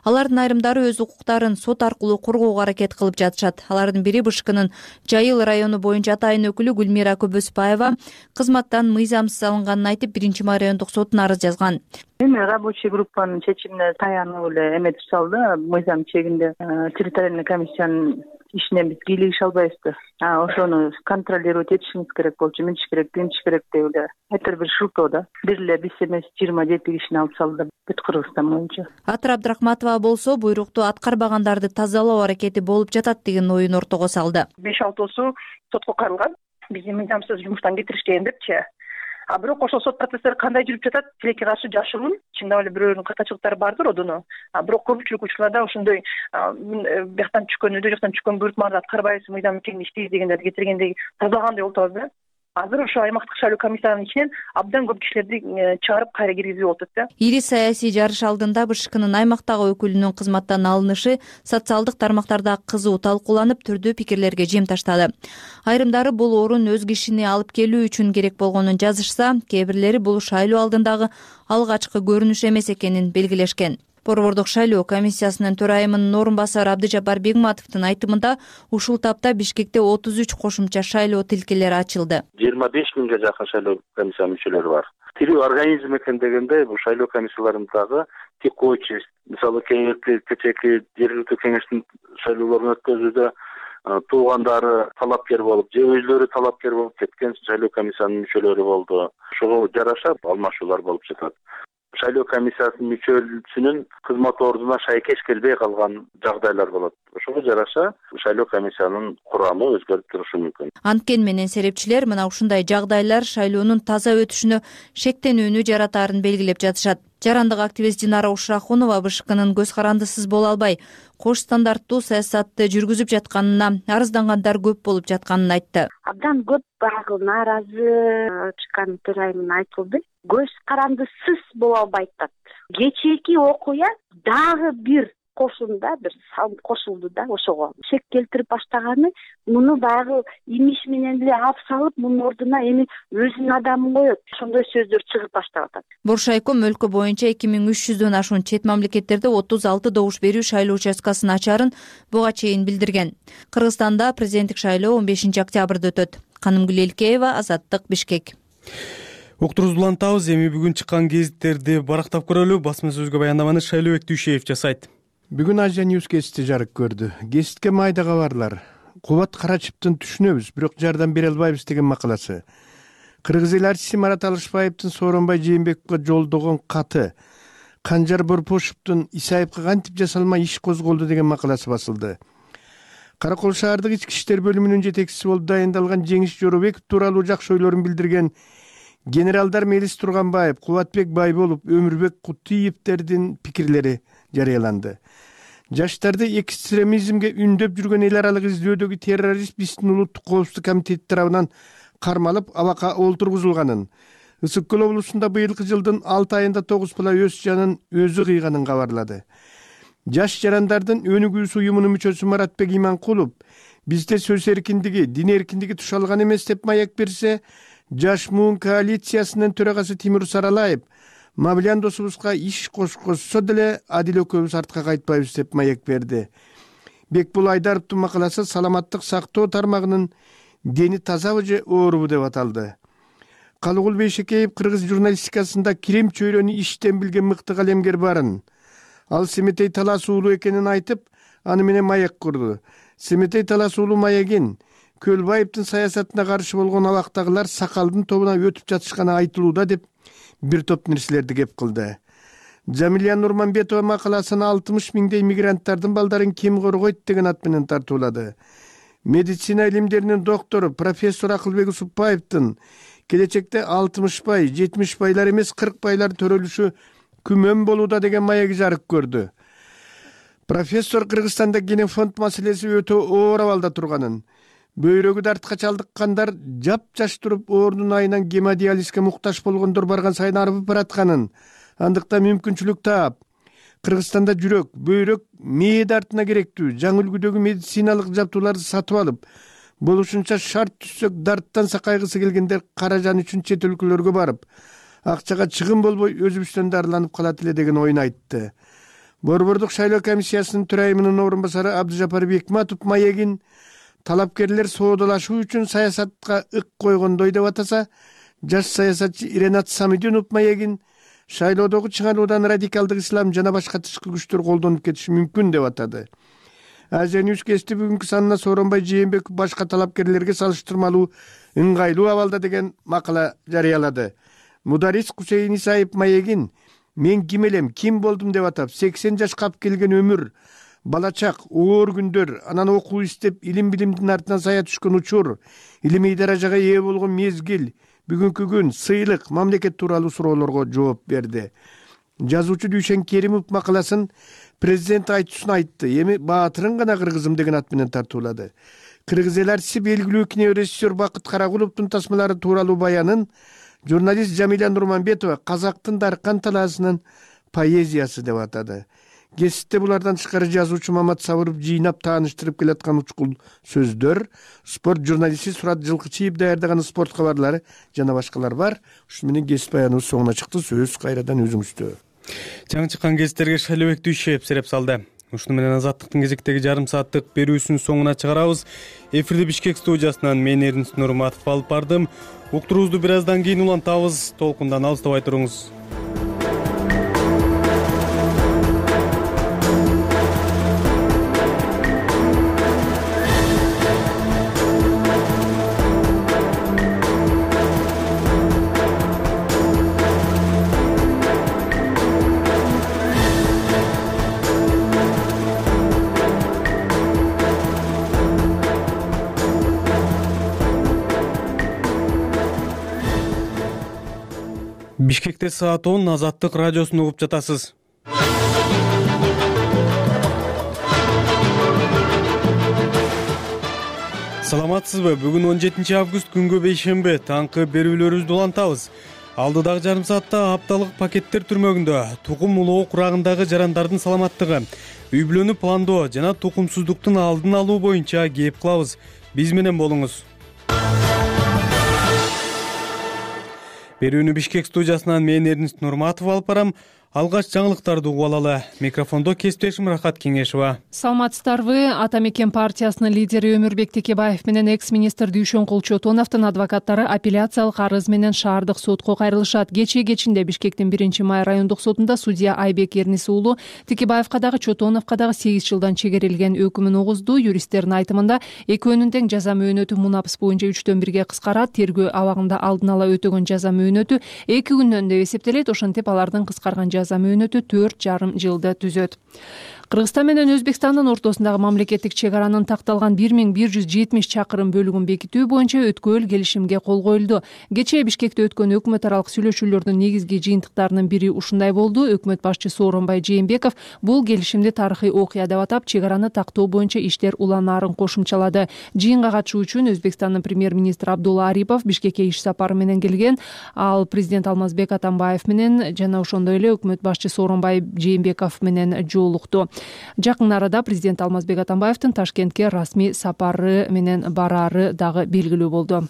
Speaker 5: Алардын айрымдары өз укуктарын сот аркылуу коргоого аракет кылып жатышат. Алардын бири БШКнын Жайыл району боюнча атайын өкүлү Гүлмира Көбөспаева кызматтан мыйзамсыз алынганын айтып, биринчи май райондук сотуна арыз жазган.
Speaker 24: Эми рабочий группанын чечимине таянып эле эметип салды. Мыйзам чегинде территориальный комиссиянын ишинен биз кийлигише албайбыз да. А ошону контролировать этишибиз керек болчу, минтиш керек, тынтиш керек деп эле. Айтыр бир шылтоо да. Бир эле биз эмес жыйырма жети кишини алып салды бүт Кыргызстан боюнча.
Speaker 5: Атыр Абдрахматова болсо буйрукту аткарбагандарды тазалоо аракети болуп жатат деген оюн ортого салды.
Speaker 24: беш алтоосу сотко каралган. Бизди мыйзамсыз жумуштан кетиришкен депчи. А бирок ошол сот процесстери кандай жүрүп жатат? Тилекке каршы жашыруун, чындап эле бирөөнүн катачылыктары бардыр одуну. А бирок көпчүлүк учурларда ошондой бияктан түшкөн, өйдө жактан түшкөн буйрутмаларды аткарбайбыз, мыйзам менен иштейбиз дегендерди кетиргендей тазалагандай болуп атабыз да. Азыр ошо аймактык шайлоо комиссиянын ичинен абдан көп кишилерди чыгарып кайра киргизип атат да.
Speaker 5: Ири саясий жарыш алдында БШКнын аймактагы өкүлүнүн кызматтан алынышы социалдык тармактарда кызуу талкууланып, түрдүү пикирлерге жем таштады. Айрымдары бул орун өз кишини алып келүү үчүн керек болгонун жазышса, кээ бирлери бул шайлоо алдындагы алгачкы көрүнүш эмес экенин белгилешкен. Борбордук шайлоо комиссиясынын төрайымынын орун басары Абдыжапар Бегматовдун айтымында ушул тапта Бишкекте отуз үч кошумча шайлоо тилкелери ачылды.
Speaker 6: жыйырма беш миңге жакын шайлоо комиссиянын мүчөлөрү бар. Тирүү организм экен дегенде бул шайлоо комиссияларындагы текучесть, мисалы кеңешти кечээки жергиликтүү кеңештин шайлоолорун өткөзүүдө туугандары талапкер болуп же өзлөрү талапкер болуп кеткен шайлоо комиссиянын мүчөлөрү болду. Ошого жараша алмашуулар болуп жатат. Шайлоо комиссиясынын мүчөсүнүн кызмат ордуна шайкеш келбей калган жагдайлар болот. Ошого жараша шайлоо комиссиянын курамы өзгөрүп турушу мүмкүн.
Speaker 5: Анткени менен серепчилер мына ушундай жагдайлар шайлоонун таза өтүшүнө шектенүүнү жаратаарын белгилеп жатышат. Жарандык активист Динара Ушрахунова БШКнын көз карандысыз боло албай, кош стандарттуу саясатты жүргүзүп жатканына, арыздангандар көп болуп жатканын айтты.
Speaker 3: Абдан көп баягы нааразы чыккан төрайымын айтылды. Көз карандысыз боло албайт атат. Кечээки окуя дагы бир кошумда бир салым кошулду да ошого. Шек келтирип баштаганы муну баягы имиш менен эле алып салып, мунун ордуна эми өзүнүн адамын коет. Ошондой сөздөр чыгып баштап атат.
Speaker 5: Боршайком өлкө боюнча эки миң үч жүздөн ашуун чет мамлекеттерде отуз алты добуш берүү шайлоо участкасын ачарын буга чейин билдирген. Кыргызстанда президенттик шайлоо он бешинчи октябрда өтөт. Канымгүл Элкеева, Азаттык, Бишкек.
Speaker 1: Уктурубузду улантабыз. Эми бүгүн чыккан гезиттерди барактап көрөлү. Басма сөзгө баяндаманы Шайлообек Дүйшеев жасайт.
Speaker 2: Бүгүн Азия Ньюс гезити жарык көрдү. Гезитке майда кабарлар. Кубат Карачиптин түшүнөбүз, бирок жардам бере албайбыз деген макаласы. Кыргыз эл артисти Марат Алышбаевдин Сооронбай Жээнбековго жолдогон каты, Канжар Борпошовдун Исаевге кантип жасалмай иш козголду деген макаласы басылды. Каракол шаардык ички иштер бөлүмүнүн жетекчиси болуп дайындалган Жеңиш Жоробеков тууралуу жакшы ойлорун билдирген генералдар Мелис Турганбаев, Кубатбек Байболов, Өмүрбек Кутуевдердин пикирлери жарыяланды. Жаштарды экстремизмге үндөп жүргөн эл аралык издөөдөгү террорист биздин улуттук коопсуздук комитети тарабынан кармалып, абакка олтургузулганын, Ысык Көл облусунда быйылкы жылдын алты айында тогуз бала өз жанын өзү кыйганын кабарлады. Жаш жарандардын өнүгүүсү уюмунун мүчөсү Маратбек Иманкулов бизде сөз эркиндиги, дин эркиндиги тушалган эмес деп маяк берсе, Жаш Муун коалициясынын төрагасы Тимур Саралаев Мавлян досубузга иш кошкозсо деле Адил экөөбүз артка кайтпайбыз деп маяк берди. Бекбул Айдаровдун макаласы саламаттык сактоо тармагынын дени тазабы же оорубу деп аталды. Калыгул Бейшекеев кыргыз журналистикасында кирем чөйрөнү иштен билген мыкты калемгер барын. Ал Семетей Талас уулу экенин айтып, аны менен маяк курду. Семетей Талас уулу маягин Көлбаевдин саясатына каршы болгон абактагылар сакалдын тобуна өтүп жатышканы айтылууда деп бир топ нерселерди кеп кылды. Жамилия Нурманбетова макаласын алтымыш миңдей мигранттардын балдарын ким коргойт деген ат менен тартуулады. Медицина илимдеринин доктору профессор Акылбек Усупбаевдин келечекте алтымышбай, жетимишбайлар эмес кыркбайлар төрөлүшү күмөн болууда деген маягы жарык көрдү. Профессор Кыргызстанда генофонд маселеси өтө оор абалда турганын, бөйрөгү дартка чалдыккандар жап-жаш туруп оорунун айынан гемодиализге муктаж болгондор барган сайын арбып баратканын, андыкта мүмкүнчүлүк таап, Кыргызстанда жүрөк, бөйрөк, мээ дартына керектүү жаңы үлгүдөгү медициналык жабдууларды сатып алып, болушунча шарт түзсөк дарттан сакайгысы келгендер каражан үчүн чет өлкөлөргө барып, акчага чыгым болбой өзүбүздөн дарыланып калат эле деген оюн айтты. Борбордук шайлоо комиссиясынын төрайымынын орун басары Абдыжапар Бекматов маегин талапкерлер соодалашуу үчүн саясатка ык койгондой деп атаса, жаш саясатчы Ренат Самидинов маегин шайлоодогу чыгаруудан радикалдык ислам жана башка тышкы күчтөр колдонуп кетиши мүмкүн деп атады. Азия Ньюс гезити бүгүнкү санына Сооронбай Жээнбеков башка талапкерлерге салыштырмалуу ыңгайлуу абалда деген макала жарыялады. Мударис Кусейин Исаев маегин мен ким элем, ким болдум деп атап, сексен жашка алып келген өмүр, балачак, оор күндөр, анан окуу иштеп, илим билимдин артынан сая түшкөн учур, илимий даражага ээ болгон мезгил, бүгүнкү күн, сыйлык, мамлекет тууралуу суроолорго жооп берди. Жазуучу Дүйшен Керимов макаласын президент айтуусун айтты. Эми баатырын гана кыргызым деген ат менен тартуулады. Кыргыз эл артисти белгилүү кинорежиссер Бакыт Карагуловдун тасмалары тууралуу баянын журналист Жамиля Нурманбетова казактын даркан талаасынын поэзиясы деп атады. Гезитте булардан тышкары жазуучу Мамат Сабыров жыйнап тааныштырып келаткан учкул сөздөр, спорт журналисти Сурат Жылкычиев даярдаган спорт кабарлары жана башкалар бар. Ушу менен гезит баяныбыз соңуна чыкты. Сөз кайрадан өзүңүздө.
Speaker 1: жаңы чыккан гезиттерге Шайлообек Дүйшев сереп салды. Ушуну менен Азаттыктын кезектеги жарым сааттык берүүсүнүн соңуна чыгарабыз. Эфирде Бишкек студиясынан мен Эрнис Нурматов алып бардым. Уктуруубузду бир аздан кийин улантабыз. Толкундан алыстабай туруңуз. Бишкекте саат он Азаттык радиосун угуп жатасыз. Саламатсызбы? Бүгүн он жетинчи август күнгө бейшемби. Таңкы берүүлөрүбүздү улантабыз. Алдыдагы жарым саатта апталык пакеттер түрмөгүндө тукум улоо курагындагы жарандардын саламаттыгы, үй бүлөнү пландоо жана тукумсуздуктун алдын алуу боюнча кеп кылабыз. Биз менен болуңуз. Берүүнү Бишкек студиясынан мен Эрнис Нурматов алып барам. Алгач жаңылыктарды угуп алалы. Микрофондо кесиптешим Рахат Кеңешова.
Speaker 7: Саламатсыздарбы? Ата мекен партиясынын лидери Өмүрбек Текебаев менен экс-министр Дүйшөнкул Чотоновдун адвокаттары апелляциялык арыз менен шаардык сотко кайрылышат. Кечээ кечинде Бишкектин биринчи май райондук сотунда судья Айбек Эрнис уулу Текебаевка дагы Чотоновко дагы сегиз жылдан чегерилген өкүмүн угузду. Юристтердин айтымында экөөнүн тең жаза мөөнөтү мунапс боюнча үчтөн бирге кыскарат. Тергөө абагында алдын ала өтөгөн жаза мөөнөтү эки күндөн деп эсептелет. Ошентип алардын кыскарган жаза мөөнөтү төрт жарым жылды түзөт. Кыргызстан менен Өзбекстандын ортосундагы мамлекеттик чек аранын такталган бир миң бир жүз жетимиш чакырым бөлүгүн бекитүү боюнча өткөл келишимге кол коюлду. Кечээ Бишкекте өткөн өкмөт аралык сүйлөшүүлөрдүн негизги жыйынтыктарынын бири ушундай болду. Өкмөт башчысы Сооронбай Жээнбеков бул келишимди тарыхый окуя деп атап, чек араны тактоо боюнча иштер уланаарын кошумчалады. Жыйынга катышуу үчүн Өзбекстандын премьер-министри Абдулла Арипов Бишкекке иш сапары менен келген. Ал президент Алмазбек Атамбаев менен жана ошондой эле өкмөт башчысы Сооронбай Жээнбеков менен жолукту. Жакын арада президент Алмазбек Атамбаевдин Ташкентке расмий сапары менен бараары дагы белгилүү болду.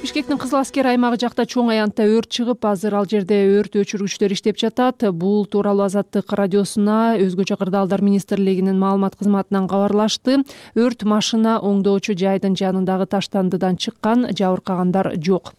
Speaker 7: Бишкектин Кызыл Аскер аймагы жакта чоң аянтта өрт чыгып, азыр ал жерде өрт өчүргүчтөр иштеп жатат. Бул тууралуу Азаттык радиосуна Өзгөчө кырдаалдар министрлигинин маалымат кызматынан кабарлашты. Өрт машина оңдоочу жайдын жанындагы таштандыдан чыккан, жабыркагандар жок.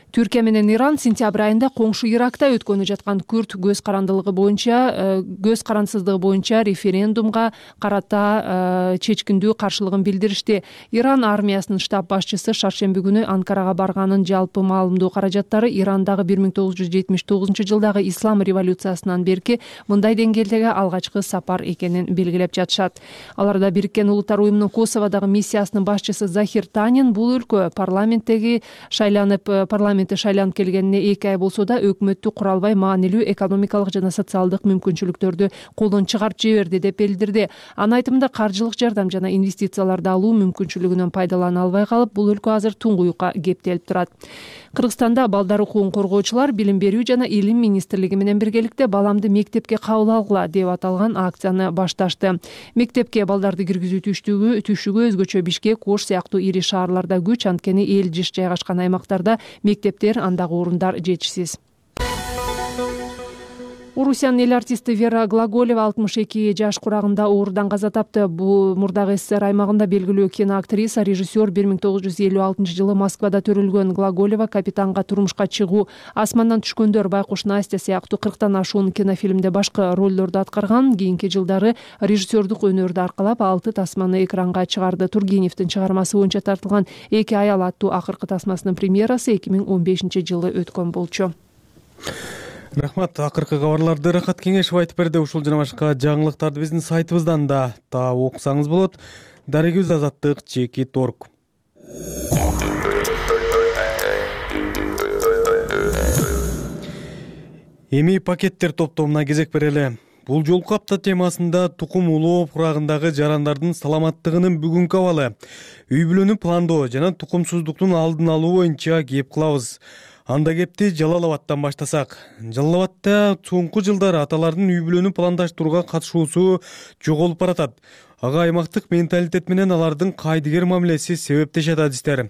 Speaker 7: Түркия менен Иран сентябрь айында коңшу Иракта өткөнү жаткан күрд көз карандылыгы боюнча көз карансыздыгы боюнча референдумга карата чечкиндүү каршылыгын билдиришти. Иран армиясынын штаб башчысы шаршемби күнү Анкарага барганын жалпы маалымдоо каражаттары Ирандагы бир миң тогуз жүз жетимиш тогузунчу жылдагы ислам революциясынан берки мындай деңгээлдеги алгачкы сапар экенин белгилеп жатышат. Аларда Бириккен Улуттар уюмунун Косоводогу миссиясынын башчысы Захир Танин бул өлкө парламенттеги шайланып парламент шайланып келгенине эки ай болсо да өкмөттү кура албай маанилүү экономикалык жана социалдык мүмкүнчүлүктөрдү колдон чыгарып жиберди деп билдирди. Анын айтымында каржылык жардам жана инвестицияларды алуу мүмкүнчүлүгүнөн пайдалана албай калып, бул өлкө азыр туңгуюкка кептелип турат. Кыргызстанда балдар укугун коргоочулар Билим берүү жана Илим министрлиги менен биргеликте баламды мектепке кабыл алгыла деп аталган акцияны башташты. Мектепке балдарды киргизүү түштүгү түшүгү өзгөчө Бишкек, Ош сыяктуу ири шаарларда күч, анткени эл жыш жайгашкан аймактарда мектептер, андагы орундар жетишсиз. Орусиянын эл артисти Вера Глаголева алтымыш эки жаш курагында оорудан каза тапты. Бул мурдагы СССР аймагында белгилүү киноактриса, режиссер бир миң тогуз жүз элүү алтынчы жылы Москвада төрөлгөн. Глаголева Капитанга турмушка чыгуу, Асмандан түшкөндөр, Байкуш Настя сыяктуу кырктан ашуун кинофильмде башка ролдорду аткарган. Кийинки жылдары режиссердук өнөрдү аркалап алты тасманы экранга чыгарды. Тургеневдин чыгармасы боюнча тартылган Эки аял аттуу акыркы тасмасынын премьерасы эки миң он бешинчи жылы өткөн болчу.
Speaker 1: Рахмат. Акыркы кабарларды Рахат Кеңешов айтып берди. Ушул жана башка жаңылыктарды биздин сайтыбыздан да таап окусаңыз болот. Дарегибиз Азаттык чеки торг. Эми пакеттер топтомуна кезек берели. Бул жолку апта темасында тукум улоо курагындагы жарандардын саламаттыгынын бүгүнкү абалы, үй бүлөнү пландоо жана тукумсуздуктун алдын алуу боюнча кеп кылабыз. Анда кепти Жалал Абадтан баштасак. Жалал Абадта соңку жылдары аталардын үй бүлөнү пландаштырууга катышуусу жоголуп баратат. Ага аймактык менталитет менен алардын кайдыгер мамилеси себептешет адистер.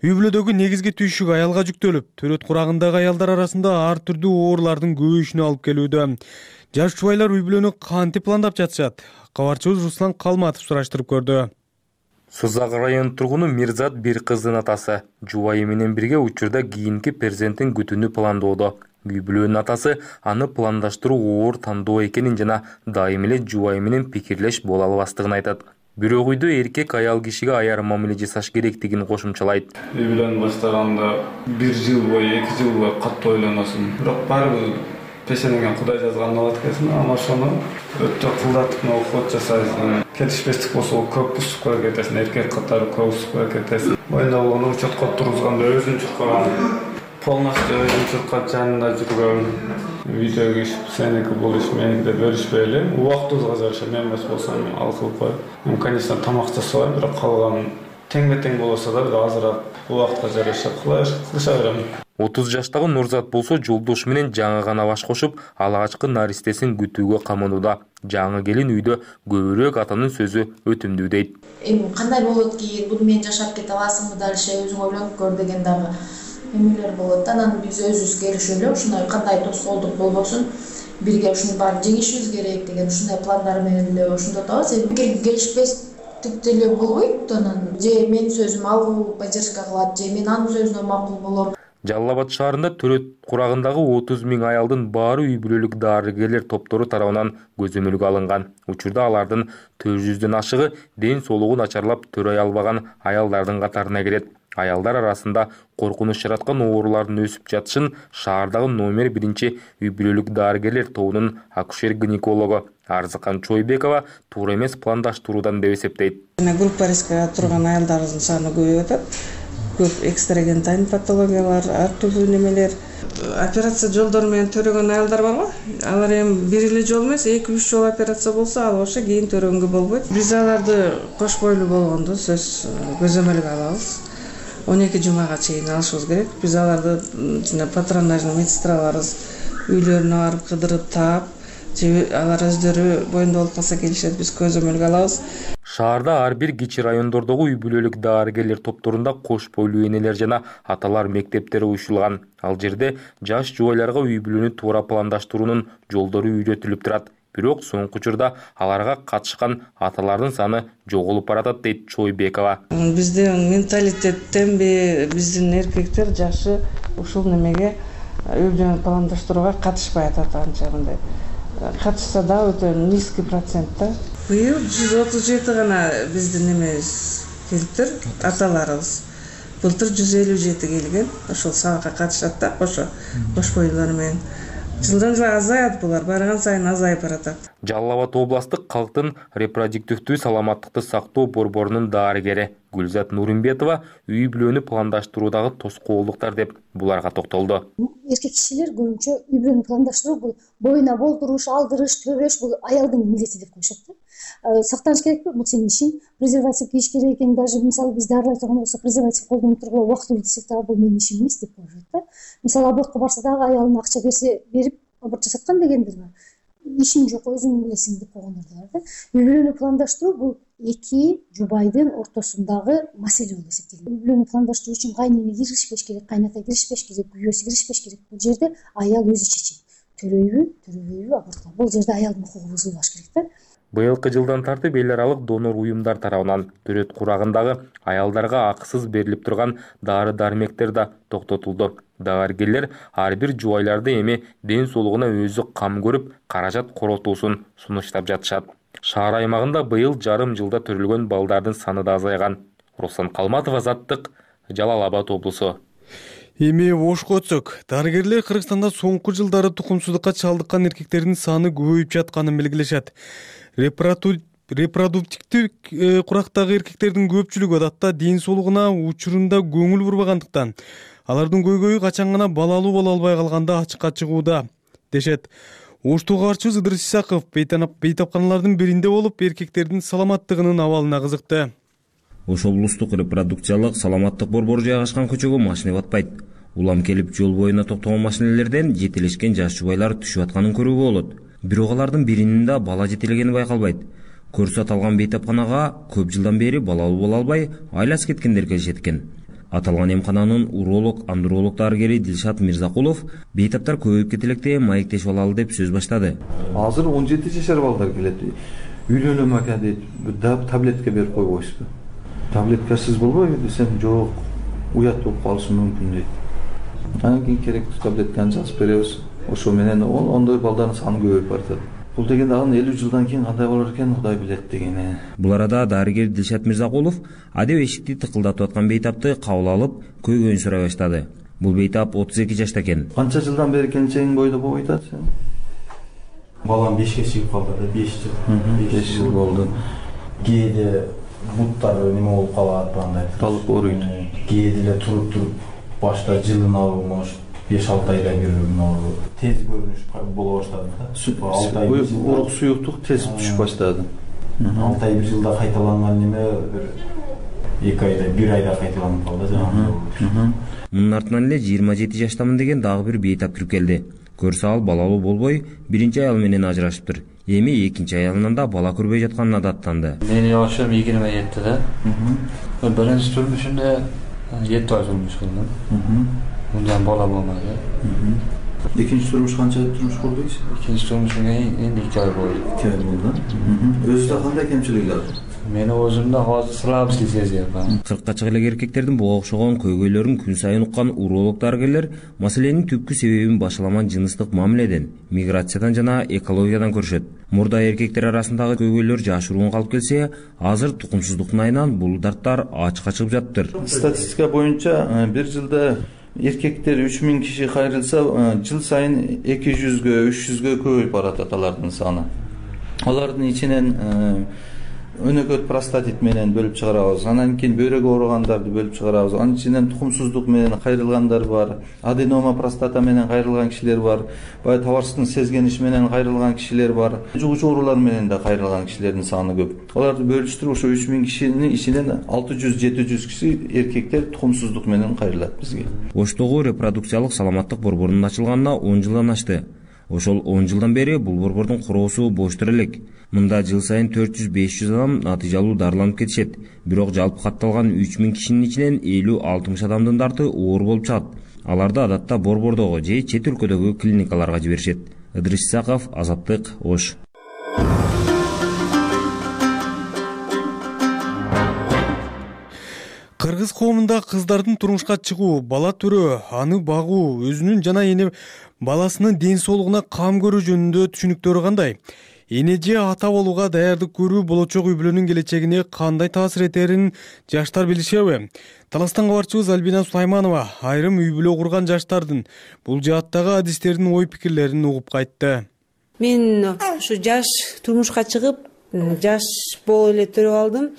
Speaker 1: Үй бүлөдөгү негизги түйшүк аялга жүктөлүп, төрөт курагындагы аялдар арасында ар түрдүү оорулардын көбөйүшүнө алып келүүдө. Жаш жубайлар үй бүлөнү кантип пландап жатышат? Кабарчыбыз Руслан Калматов сураштырып көрдү.
Speaker 8: Сузак районунун тургуну Мирзат бир кыздын атасы. Жубайы менен бирге учурда кийинки перзентин күтүүнү пландоодо. Үй бүлөнүн атасы аны пландаштыруу оор тандоо экенин жана дайым эле жубайы менен пикирлеш боло албастыгын айтат. Бирок үйдө эркек аял кишиге аяр мамиле жасаш керектигин кошумчалайт.
Speaker 9: Үй бүлөнү баштаганда бир жыл бою, эки жыл бою катуу ойлоносуң. Бирок баары пешенеңе Кудай жазганын алат экенсиң, ама ошону өтө кылдатып уход жасайсың. Келишпестик болсо көп бузуп кое кетесиң, эркек катары көп бузуп кое кетесиң. Моюнда болгону учетко тургузганда өзүн чуркаган, полностью өзүн чуркап жанында жүргөн, үйдө иш сеники бул иш меники деп бөлүшпөй эле убактыбызга жараша мен эмес болсом ал кылып коем. Мен конечно тамак жасабайм, бирок калган теңме-тең болсо да бир азыраак убакытка жараша кылыша берем.
Speaker 8: отуз жаштагы Нурзат болсо жолдошу менен жаңы гана баш кошуп, алгачкы наристесин күтүүгө каманууда. Жаңы келин үйдө көбүрөөк атанын сөзү өтүмдүү дейт.
Speaker 10: Эми кандай болот кийин, буну менен жашап кете аласыңбы дальше, өзүң ойлонуп көр деген дагы эмелер болот. Анан биз өзүбүз келишип эле ушундай кандай тоскоолдук болбосун, бирге ушунун баарын жеңишибиз керек деген ушундай пландар менен эле ошондо атабыз. Эми келишпестик деле болбойт, анан же менин сөзүм ал поддержка кылат, же мен анын сөзүнө макул болом.
Speaker 8: Жалал Абад шаарында төрөт курагындагы отуз миң аялдын баары үй бүлөлүк дарыгерлер топтору тарабынан көзөмөлгө алынган. Учурда алардын төрт жүздөн ашыгы ден соолугу начарлап төрөй албаган аялдардын катарына кирет. Аялдар арасында коркунуч жараткан оорулардын өсүп жатышын шаардагы номер биринчи үй бүлөлүк дарыгерлер тобунун акушер-гинекологу Арзыкан Чойбекова туура эмес пландаштыруудан деп эсептейт.
Speaker 12: Группа рискиге турган аялдардын саны көбөйүп атат. Көп экстрагентайн патологиялар, ар түрдүү немелер. Операция жолдору менен төрөгөн аялдар барбы? Алар эми бир эле жол эмес, эки үч жол операция болсо, ал ошо кийин төрөнгө болбойт. Биз аларды кош бойлуу болгондо сөз көзөмөлгө алабыз. он эки жумага чейин алышыбыз керек. Биз аларды жана патронажный медсестраларыбыз үйлөрүнө барып кыдырып таап, же алар өздөрү боюнда болуп калса келишет, биз көзөмөлгө алабыз.
Speaker 8: Шаарда ар бир кичи райондордогу үй бүлөлүк дарыгерлер топторунда кош бойлуу энелер жана аталар мектептери уюшулган. Ал жерде жаш жубайларга үй бүлөнү туура пландаштыруунун жолдору үйрөтүлүп турат. Бирок соңку учурда аларга катышкан аталардын саны жоголуп баратат дейт Чойбекова.
Speaker 12: Биздин менталитеттен биздин эркектер жашы ушул немеге үй бүлөнү пландаштырууга катышпай атат анча мындай. Катышса да өтө низкий процентта. Быйыл жүз отуз жети гана биздин немебиз келиптир, аталарыбыз. Былтыр жүз элүү жети келген, ошол сабакка катышат да, ошо кош бойлуулар менен. Жылдан жылга азаят булар, барган сайын азайып баратат.
Speaker 8: Жалал Абад областык калктын репродуктивдүү саламаттыкты сактоо борборунун дарыгери Гүлзат Нурымбетова үй бүлөнү пландаштыруудагы тоскоолдуктар деп буларга токтолду.
Speaker 25: Эркек кишилер көбүнчө үй бүлөнү пландаштыруу бул боюна болдуруш, алдырыш, төрөш бул аялдын милдети деп коюшат да. Сактаныш керекпи? Бул сенин ишиң. Презерватив кийиш керек экен, даже мисалы биз дарылай турган болсо презерватив колдонуп тургула убактылуу десек дагы бул менин ишим эмес деп коюшат да. Мисалы абортко барса дагы аялына акча берсе, берип аборт жасаткан дегендир бар. Ишиң жок, өзүң билесиң деп койгондор да бар да. Үй бүлөнү пландаштыруу бул эки жубайдын ортосундагы маселе болуп эсептелет. Үй бүлөнү пландаштыруу үчүн кайнене киришпеш керек, кайната киришпеш керек, күйөөсү киришпеш керек. Бул жерде аял өзү чечет. Төрөйбү, төрөбөйбү абортко. Бул жерде аялдын укугу бузулбаш керек да.
Speaker 8: Быйылкы жылдан тартып эл аралык донор уюмдар тарабынан төрөт курагындагы аялдарга акысыз берилип турган дары-дармектер да токтотулду. Дарыгерлер ар бир жубайларды эми ден соолугуна өзү кам көрүп, каражат коротуусун сунуштап жатышат. Шаар аймагында быйыл жарым жылда төрөлгөн балдардын саны да азайган. Руслан Калматов, Азаттык, Жалал Абад облусу.
Speaker 1: Эми ошко өтсөк, дарыгерлер Кыргызстанда соңку жылдары тукумсуздукка чалдыккан эркектердин саны көбөйүп жатканын белгилешет. Репродуктивдүү курактагы эркектердин көпчүлүгү адатта ден соолугуна учурунда көңүл бурбагандыктан алардын көйгөйү качан гана балалуу боло албай калганда ачыкка чыгууда дешет. Оштуу кабарчыбыз Ыдырыс Исаков бейтапканалардын биринде болуп, эркектердин саламаттыгынын абалына кызыкты.
Speaker 26: Ош облустук репродукциялык саламаттык борбору жайгашкан көчөгө машина батпайт. Улам келип жол боюна токтогон машинелерден жетелешкен жаш жубайлар түшүп атканын көрүүгө болот. Бирок алардын биринин да бала жетелегени байкалбайт. Көрсө аталган бейтапканага көп жылдан бери балалуу боло албай айлас кеткендер келишет экен. Аталган эмкананын уролог андролог дарыгери Дилшат Мирзакулов бейтаптар көбөйүп кете электе маектешип алалы деп сөз баштады.
Speaker 11: Азыр он жети жашар балдар келет. Үйлөнөм ака дейт, таблетка берип койбойсузбу? Таблеткасыз болбойбу десем, жок, уят болуп калышы мүмкүн дейт. Анан кийин керектүү таблетканы жазып беребиз. Ошо менен ондой балдардын саны көбөйүп баратат. Бул деген дагы элүү жылдан кийин кандай болор экен, Кудай билет дегени.
Speaker 26: Бул арада дарыгер Дилшат Мирзакулов адеп эшикти тыкылдатып аткан бейтапты кабыл алып, көйгөйүн сурай баштады. Бул бейтап отуз эки жашта экен.
Speaker 11: Канча жылдан бери келинчегиң бойдо болуп атат сен?
Speaker 13: Балам бешке чыгып калды да, беш жыл.
Speaker 11: беш жыл болду.
Speaker 13: Кээде буттар неме болуп калат, андай.
Speaker 11: Талып ооруйт.
Speaker 13: Кээде эле туруп-туруп башта жылын алып, может беш алты айда бир тез көрүнүш боло баштады да.
Speaker 11: Урук суюктук тез түшүп баштады.
Speaker 13: алты ай бир жылда кайталанган неме бир эки айда, бир айда кайталанып калды жанагы.
Speaker 26: Мунун артынан эле жыйырма жети жаштамын деген дагы бир бейтап кирип келди. Көрсө ал балалуу болбой, биринчи аял менен ажырашыптыр. Эми экинчи аялынан да бала көрбөй жатканына даттанды.
Speaker 14: Менин жашым yigirma yedide. Биринчи турмушумда жети ай турмуш кылдым. Мындан бала болмады.
Speaker 11: Экинчи турмуш канча турмуш курдуңуз?
Speaker 14: Экинчи турмушумда энди эки ай болду.
Speaker 11: эки ай болду. Өзүндө кандай кемчиликтер бар?
Speaker 14: Мени өзүмдө азыр слабость сезип атам.
Speaker 26: кыркка чыга элек эркектердин буга окшогон көйгөйлөрүн күн сайын уккан уролог дарыгерлер маселенин түпкү себебин башаламан жыныстык мамиледен, миграциядан жана экологиядан көрүшөт. Мурда эркектер арасындагы көйгөйлөр жашыруун калып келсе, азыр тукумсуздуктун айынан бул дарттар ачыкка чыгып жатыптыр.
Speaker 11: Статистика боюнча бир жылда эркектер үч миң киши кайрылса, жыл сайын эки жүзгө, үч жүзгө көбөйүп баратат алардын саны. Алардын ичинен өнөкөт простатит менен бөлүп чыгарабыз. Анан кийин бөйрөк ооругандарды бөлүп чыгарабыз. Анын ичинен тукумсуздук менен кайрылгандар бар, аденома простата менен кайрылган кишилер бар, бай табарсыздын сезгениши менен кайрылган кишилер бар, жугуч оорулар менен да кайрылган кишилердин саны көп. Аларды бөлүштүрүп ошо үч миң кишинин ичинен алты жүз жети жүз киши эркектер тукумсуздук менен кайрылат бизге.
Speaker 26: Оштогу репродукциялык саламаттык борборунун ачылганына он жылдан ашты. Ошол он жылдан бери бул борбордун куроосу боштур элек. Мында жыл сайын төрт жүз беш жүз адам натыйжалуу дарыланып кетишет. Бирок жалпы катталган үч миң кишинин ичинен элүү алтымыш адамдын дарты оор болуп чыгат. Аларды адатта борбордогу же чет өлкөдөгү клиникаларга жиберишет. Ыдырыс Исаков, Азаттык, Ош.
Speaker 1: Кыргыз коомунда кыздардын турмушка чыгуу, бала төрөө, аны багуу, өзүнүн жана эне баласынын ден соолугуна кам көрүү жөнүндө түшүнүктөрү кандай? Эне же ата болууга даярдык көрүү болочок үй бүлөнүн келечегине кандай таасир этерин жаштар билишеби? Таластан кабарчыбыз Альбина Сулайманова айрым үй бүлө курган жаштардын бул жааттагы адистердин ой пикирлерин угуп кайтты.
Speaker 15: Мен ушу жаш турмушка чыгып, жаш болуп эле төрөп алдым.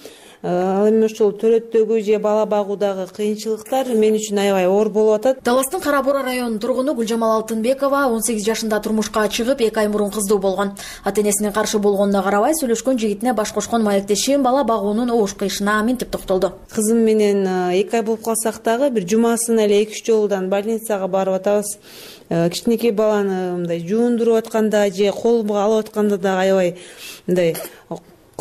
Speaker 15: Ал эми ошол төрөттөгү же бала багуудагы кыйынчылыктар мен үчүн аябай оор болуп атат.
Speaker 16: Таластын Кара Бура районунун тургуну Гүлжамал Алтынбекова он сегиз жашында турмушка чыгып, эки ай мурун кыздуу болгон. Ата-энесинин каршы болгонуна карабай, сүйлөшкөн жигитине баш кошкон маектеши бала багуунун оош кыйышына минтип токтолду.
Speaker 15: Кызым менен эки ай болуп калсак дагы бир жумасына эле эки үч жолудан больницага барып атабыз. Кичинекей баланы мындай жуундуруп атканда же колумга алып атканда да аябай мындай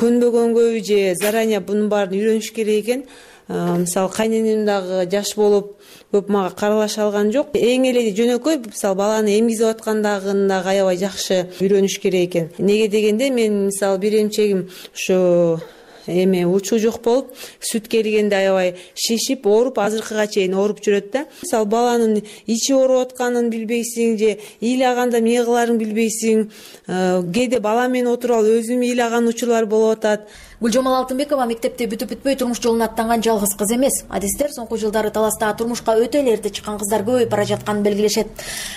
Speaker 15: көнбөгөнгө же заранее бунун баарын үйрөнүш керек экен. Мисалы кайненем дагы жаш болуп көп мага каралаша алган жок. Эң эле жөнөкөй мисалы баланы эмгизип аткандагын дагы аябай жакшы үйрөнүш керек экен. Неге дегенде мен мисалы бир эмчегим ушу эме учуу жок болуп, сүт келгенде аябай шишип, ооруп, азыркыга чейин ооруп жүрөт да. Мисалы баланын ичи ооруп атканын билбейсиң же ыйлаганда эмне кыларын билбейсиң. Кээде бала менен отуруп алып өзүм ыйлаган учурлар болуп атат.
Speaker 16: Гүлжамал Алтынбекова мектепти бүтүп бүтпөй турмуш жолуна аттанган жалгыз кыз эмес. Адистер соңку жылдары Таласта турмушка өтө эле эрте чыккан кыздар көбөйүп бара жатканын белгилешет.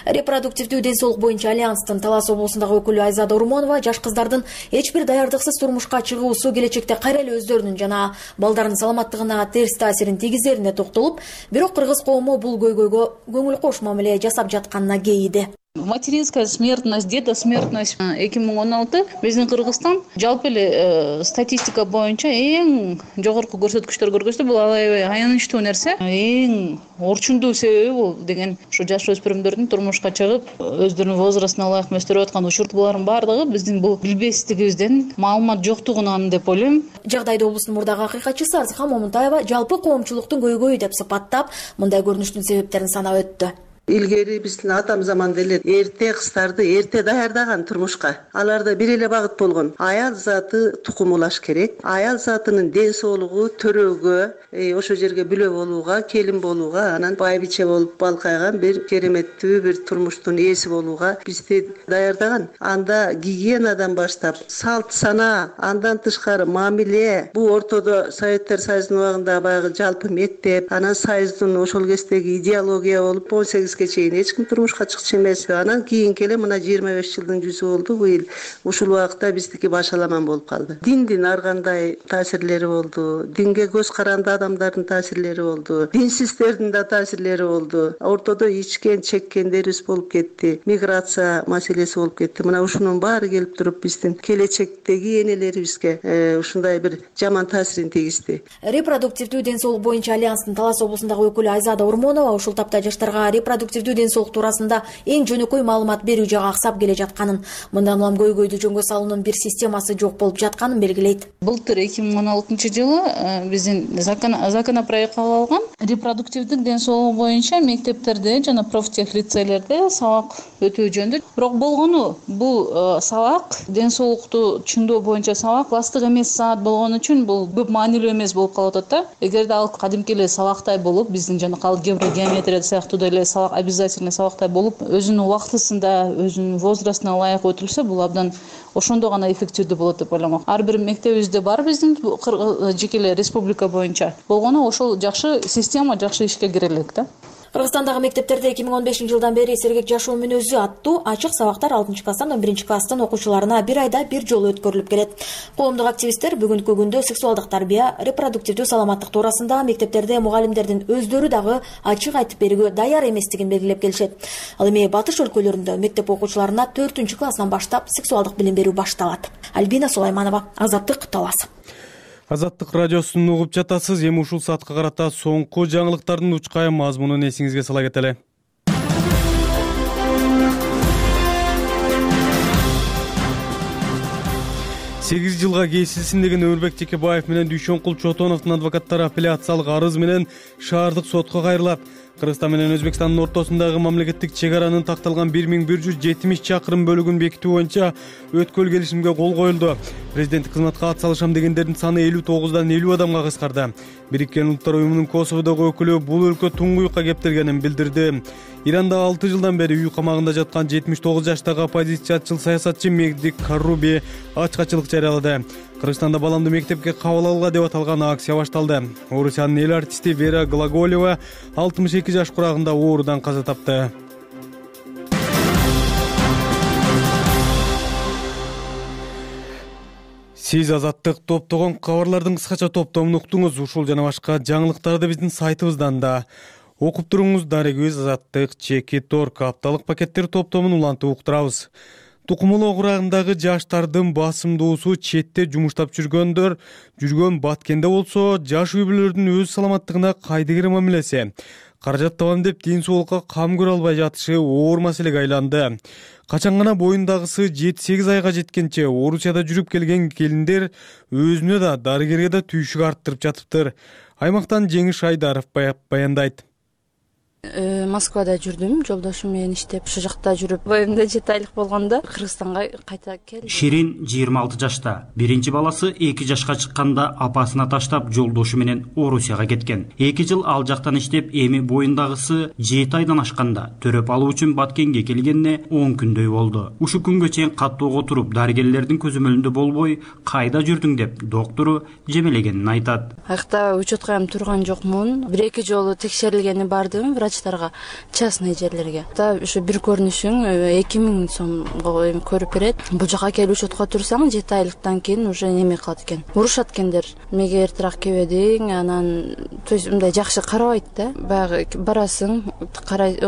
Speaker 16: Репродуктивдүү ден соолук боюнча альянстын Талас облусундагы өкүлү Айзада Урмонова жаш кыздардын эч бир даярдыксыз турмушка чыгуусу келечекте кайра эле өздөрүнүн жана балдарынын саламаттыгына терс таасирин тийгизерине токтолуп, бирок кыргыз коому бул көйгөйгө көңүл кош мамиле жасап жатканына кейиди.
Speaker 4: Материнская смертность, детосмертность эки миң он алты биздин Кыргызстан жалпы эле статистика боюнча эң жогорку көрсөткүчтөр көргөздү. Бул аябай аянычтуу нерсе. Эң орчундуу себеби бул деген ушу жаш өспүрүмдөрдүн турмушка чыгып өздөрүнүн возрастына ылайык өстүрүп аткан учур булардын баардыгы биздин бул билбестигибизден, маалымат жоктугунан деп ойлойм.
Speaker 16: Жагдайды облустун мурдагы акыйкатчысы Арзыхан Момунтаева жалпы коомчулуктун көйгөйү деп сыпаттап, мындай көрүнүштүн себептерин санап өттү.
Speaker 17: Илгери биздин атам заманда эле эрте кыздарды эрте даярдаган турмушка. Аларда бир эле багыт болгон. Аял заты тукумулаш керек. Аял затынын ден соолугу төрөөгө, ошол жерге бүлө болууга, келин болууга, анан байбиче болуп балкайган бир кереметтүү бир турмуштун ээси болууга бизди даярдаган. Анда гигиенадан баштап, салт санаа, андан тышкары мамиле, бул ортодо Советтер Союзунун убагында баягы жалпы мектеп, анан союздун ошол кездеги идеология болуп он сегиз чейин эч ким турмушка чыкчу эмес. Анан кийинки эле мына жыйырма беш жылдын жүзү болду быйыл. Ушул убакта биздики башаламан болуп калды. Диндин ар кандай таасирлери болду. Динге көз каранды адамдардын таасирлери болду. Динсиздердин да таасирлери болду. Ортодо ичкен, чеккендерибиз болуп кетти. Миграция маселеси болуп кетти. Мына ушунун баары келип туруп биздин келечектеги энелерибизге ушундай бир жаман таасирин тийгизди.
Speaker 16: Репродуктивдүү ден соолук боюнча альянстын Талас облусундагы өкүлү Айзада Урмонова ушул тапта жаштарга репродуктивдүү ден соолук туурасында эң жөнөкөй маалымат берүү жагы аксап келе жатканын, мындан улам көйгөйдү жөнгө салуунун бир системасы жок болуп жатканын белгилейт.
Speaker 4: Былтыр эки миң он алтынчы жылы биздин законопроект кабыл алган. Репродуктивдик ден соолугу боюнча мектептерде жана профтех лицейлерде сабак өтүү жөнүндө. Бирок болгону бул сабак ден соолукту түшүндөө боюнча сабак класстык эмес саат болгон үчүн бул көп маанилүү эмес болуп калып атат да. Эгерде ал кадимки эле сабактай болуп, биздин жанакы география, геометрия сыяктуу деле сабак обязательно сабактай болуп, өзүнүн убактысында, өзүнүн возрастына ылайык өтүлсө, бул абдан ошондо гана эффективдүү болот деп ойлойм. Ар бир мектебибизде бар биздин жеке эле республика боюнча. Болгону ошол жакшы система, жакшы ишке кире элек да.
Speaker 16: Кыргызстандагы мектептерде эки миң он бешинчи жылдан бери сергек жашоо мүнөзү аттуу ачык сабактар алтынчы класстан он биринчи класстын окуучуларына бир айда бир жолу өткөрүлүп келет. Коомдук активисттер бүгүнкү күндө сексуалдык тарбия, репродуктивдүү саламаттык туурасында мектептерде мугалимдердин өздөрү дагы ачык айтып берүүгө даяр эместигин белгилеп келишет. Ал эми батыш өлкөлөрүндө мектеп окуучуларына төртүнчү класстан баштап сексуалдык билим берүү башталат. Альбина Сулайманова, Азаттык, Талас.
Speaker 1: Азаттык радиосун угуп жатасыз. Эми ушул саатка карата соңку жаңылыктардын учкай мазмунун эсиңизге сала кетели. сегиз жылга кесилсин деген Өмүрбек Жекебаев менен Дүйшөнкул Чотоновдун адвокаттары апелляциялык арыз менен шаардык сотко кайрылат. Кыргызстан менен Өзбекстандын ортосундагы мамлекеттик чек аранын такталган бир миң бир жүз жетимиш чакырым бөлүгүн бекитүү боюнча өткөл келишимге кол коюлду. Президенттик кызматка ат салышам дегендердин саны элүү тогуздан элүү адамга кыскарды. Бириккен Улуттар уюмунун Косоводогу өкүлү бул өлкө туңгуюкка кептелгенин билдирди. Иранда алты жылдан бери үй камагында жаткан жетимиш тогуз жаштагы оппозициячыл саясатчы Мегди Карруби ачкачылык жарыялады. Кыргызстанда баламды мектепке кабыл алууга деп аталган акция башталды. Орусиянын эл артисти Вера Глаголева алтымыш эки жаш курагында оорудан каза тапты. Сиз Азаттык топтогон кабарлардын кыскача топтомун уктуңуз. Ушул жана башка жаңылыктарды биздин сайтыбыздан да окуп туруңуз. Дарегиз Азаттык чеки торг апталык пакеттер топтомун улантып уктурабыз. Тукумулуу курагындагы жаштардын басымдуусу четте жумуштап жүргөндөр жүргөн Баткенде болсо, жаш үй бүлөлөрдүн өз саламаттыгына кайдыгер мамилеси, каражат табам деп ден соолукка кам көрө албай жатышы оор маселеге айланды. Качан гана боюндагысы жети сегиз айга жеткенче Орусияда жүрүп келген келиндер өзүнө да дарыгерге да түйшүк арттырып жатыптыр. Аймактан Жеңиш Айдаров баяндайт.
Speaker 18: Москвада жүрдүм, жолдошум менен иштеп, ошол жакта жүрүп, боюмда жети айлык болгондо Кыргызстанга кайта келдим.
Speaker 20: Ширин жыйырма алты жашта. Биринчи баласы эки жашка чыкканда апасына таштап жолдошу менен Орусияга кеткен. эки жыл ал жактан иштеп, эми боюндагысы жети айдан ашканда төрөп алуу үчүн Баткенге келгенине он күндөй болду. Ушул күнгө чейин каттоого туруп, дарыгерлердин көзөмөлүндө болбой, кайда жүрдүң деп доктору жемелегенин айтат.
Speaker 18: Аякта учетка турган жокмун. бир эки жолу текшерилгени бардым, врач врачтарга, частный жерлерге. Да ушу бир көрүнүшүң эки миң сомго көрүп берет. Бул жака келип учетко турсаң жети айлыктан кийин уже неме кылат экен. Урушат экендер. Мега эртерээк келбедиң, анан то есть мындай жакшы карабайт да. Баягы барасың, карай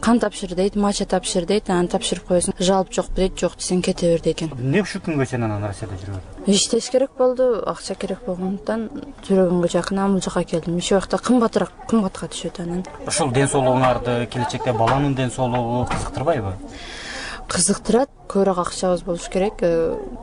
Speaker 18: кан тапшыр дейт, мача тапшыр дейт, анан тапшырып коесуң. Жалоп жокпу дейт, жок десең кете бер дейт экен.
Speaker 20: Эмне ушул күнгө чейин анан Россияда жүрөт?
Speaker 18: Иштеш керек болду, акча керек болгондуктан жүрөгүмгө жакын бул жака келдим. Иши убакта кымбатыраак, кымбатка түшөт анан.
Speaker 20: Ушул ден соолугуңарды, келечекте баланын ден соолугу кызыктырбайбы?
Speaker 18: Кызыктырат, көбүрөөк акчабыз болуш керек.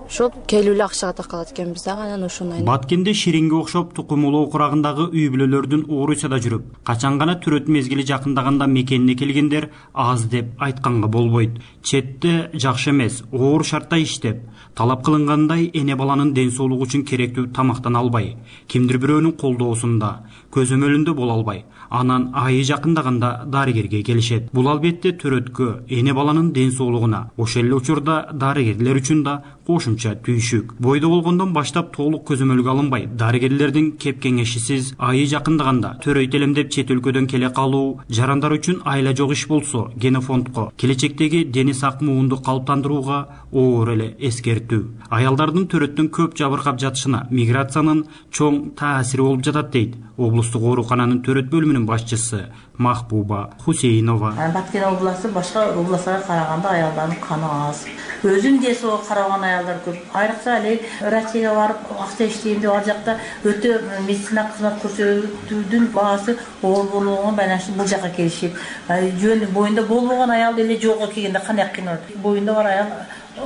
Speaker 18: Ошол келип эле акчага такалат экенбиз дагы, анан ошондой.
Speaker 20: Баткенде Ширинге окшоп тукум улоо курагындагы үй бүлөлөрдүн Орусияда жүрүп, качан гана төрөт мезгили жакындаганда мекенине келгендер аз деп айтканга болбойт. Четте жакшы эмес, оор шартта иштеп, талап кылынгандай эне баланын ден соолугу үчүн керектүү тамактан албай, кимдир бирөөнүн колдоосунда, көзөмөлүндө боло албай, анан айы жакындаганда дарыгерге келишет. Бул албетте төрөткө, эне баланын ден соолугуна, ошол эле учурда дарыгерлер үчүн да кошумча түйшүк. Бойдо болгондон баштап толук көзөмөлгө алынбай, дарыгерлердин кеп кеңешисиз айы жакындаганда төрөйт элем деп чет өлкөдөн келе калуу, жарандар үчүн айла жок иш болсо, генофондко, келечектеги дени сак муунду калыптандырууга оор эле эскертүү. Аялдардын төрөттөн көп жабыркап жатышына миграциянын чоң таасири болуп жатат дейт облустук оорукананын төрөт бөлүмүнүн башчысы Махбуба Хусейнова.
Speaker 6: Баткен областы башка областтарга караганда аялдардын каны аз. Өзүн ден соолугуна караган аялдар көп. Айрыкча эле врачка барып акча иштейм деп ал жакта өтө медицина кызмат көрсөтүүдүн баасы оор болгонго байланыштуу бул жака келишип, жөн боюнда болбогон аял деле жолго келгенде кандай кыйналат. Боюнда бар аял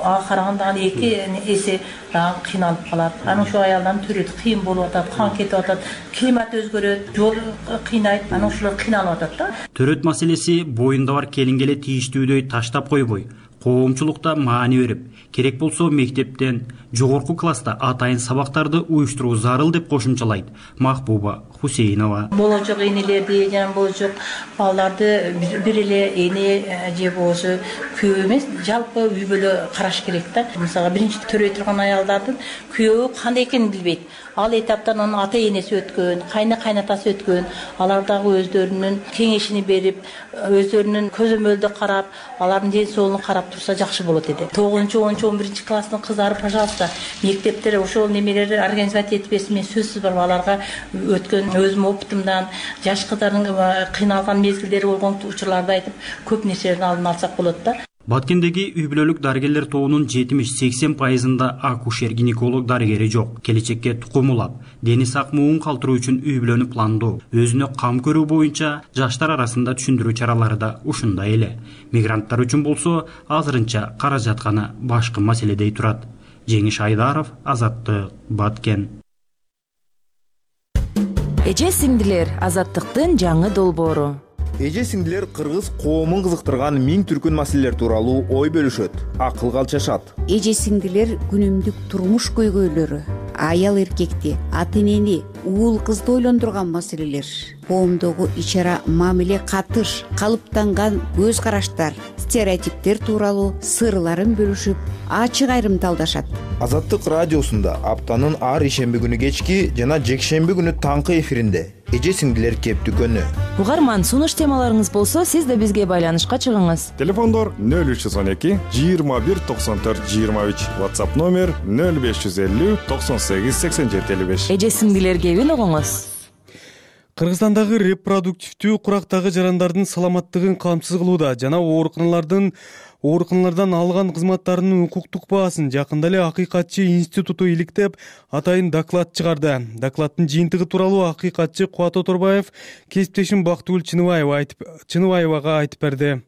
Speaker 6: ага караганда эки эсе кыйналып калат. Анан ошол аялдардын төрөтү кыйын болуп атат, кан кетип атат, климат өзгөрөт, жол кыйнайт, анан ошолор кыйналып атат да.
Speaker 20: Төрөт маселеси боюнда бар келинге эле тийиштүүдөй таштап койбой, коомчулукта маани берип, керек болсо мектептен жогорку класста атайын сабактарды уюштуруу зарыл деп кошумчалайт Махбуба Хусейнова.
Speaker 6: Болочок энелерди жана болочок балдарды бир эле эне же болбосо күйөө эмес, жалпы үй бүлө караш керек да. Мисалга биринчи төрөй турган аялдардын күйөө кандай экенин билбейт. Ал этаптан анын ата энеси өткөн, кайны кайнатасы өткөн, алар дагы өздөрүнүн кеңешини берип, өздөрүнүн көзөмөлдө карап, алардын ден соолугун карап турса жакшы болот эди. тогузунчу онунчу он биринчи класстын кыздары, пожалуйста, мектептер ошол немелерди организовать этпесин, мен сөзсүз бар аларга өткөн өзүмдүн опытымдан, жаш кыздардын кыйналган мезгилдери болгон учурларды айтып, көп нерселердин алдын алсак болот да.
Speaker 20: Баткендеги үй бүлөлүк дарыгерлер тобунун жетимиш сексен пайызында акушер-гинеколог дарыгери жок. Келечекке тукум улап, дени сак муун калтыруу үчүн үй бүлөнү пландоо, өзүнө кам көрүү боюнча жаштар арасында түшүндүрүү чаралары да ушундай эле. Мигранттар үчүн болсо азырынча каражат гана башкы маселедей турат. Жеңиш Айдаров, Азаттык, Баткен.
Speaker 19: Эже сиңдилер, Азаттыктын жаңы долбоору.
Speaker 21: Эже сиңдилер кыргыз коомун кызыктырган миң түркүн маселелер тууралуу ой бөлүшөт, акылга алчашат.
Speaker 22: Эже сиңдилер күнүмдүк турмуш көйгөйлөрү, аял эркекти, ата энени, уул кызды ойлондурган маселелер, коомдогу ичара мамиле катыш, калыптанган көз караштар, стереотиптер тууралуу сырларын бөлүшүп, ачык айрымталдашат.
Speaker 21: Азаттык радиосунда аптанын ар ишемби күнү кечки жана жекшемби күнү таңкы эфиринде эже сиңдилер кеп дүкөнү.
Speaker 19: Угарман, сунуш темаларыңыз болсо, сиз да бизге байланышка чыгыңыз.
Speaker 23: Телефондор нөл үч жүз он эки жыйырма бир токсон төрт жыйырма үч, WhatsApp номер нөл беш жүз элүү токсон сегиз сексен жети элүү беш.
Speaker 19: Эже сиңдилер кебин угуңуз.
Speaker 1: Кыргызстандагы репродуктивдүү курактагы жарандардын саламаттыгын камсыз кылууда жана ооруканалардын ооруканалардан алган кызматтарынын укуктук баасын жакында эле Акыйкатчы институту иликтеп, атайын доклад чыгарды. Докладдын жыйынтыгы тууралуу Акыйкатчы Кубат Оторбаев кесиптешим Бактыгүл Чыныбаева айтып Чыныбаевага айтып берди.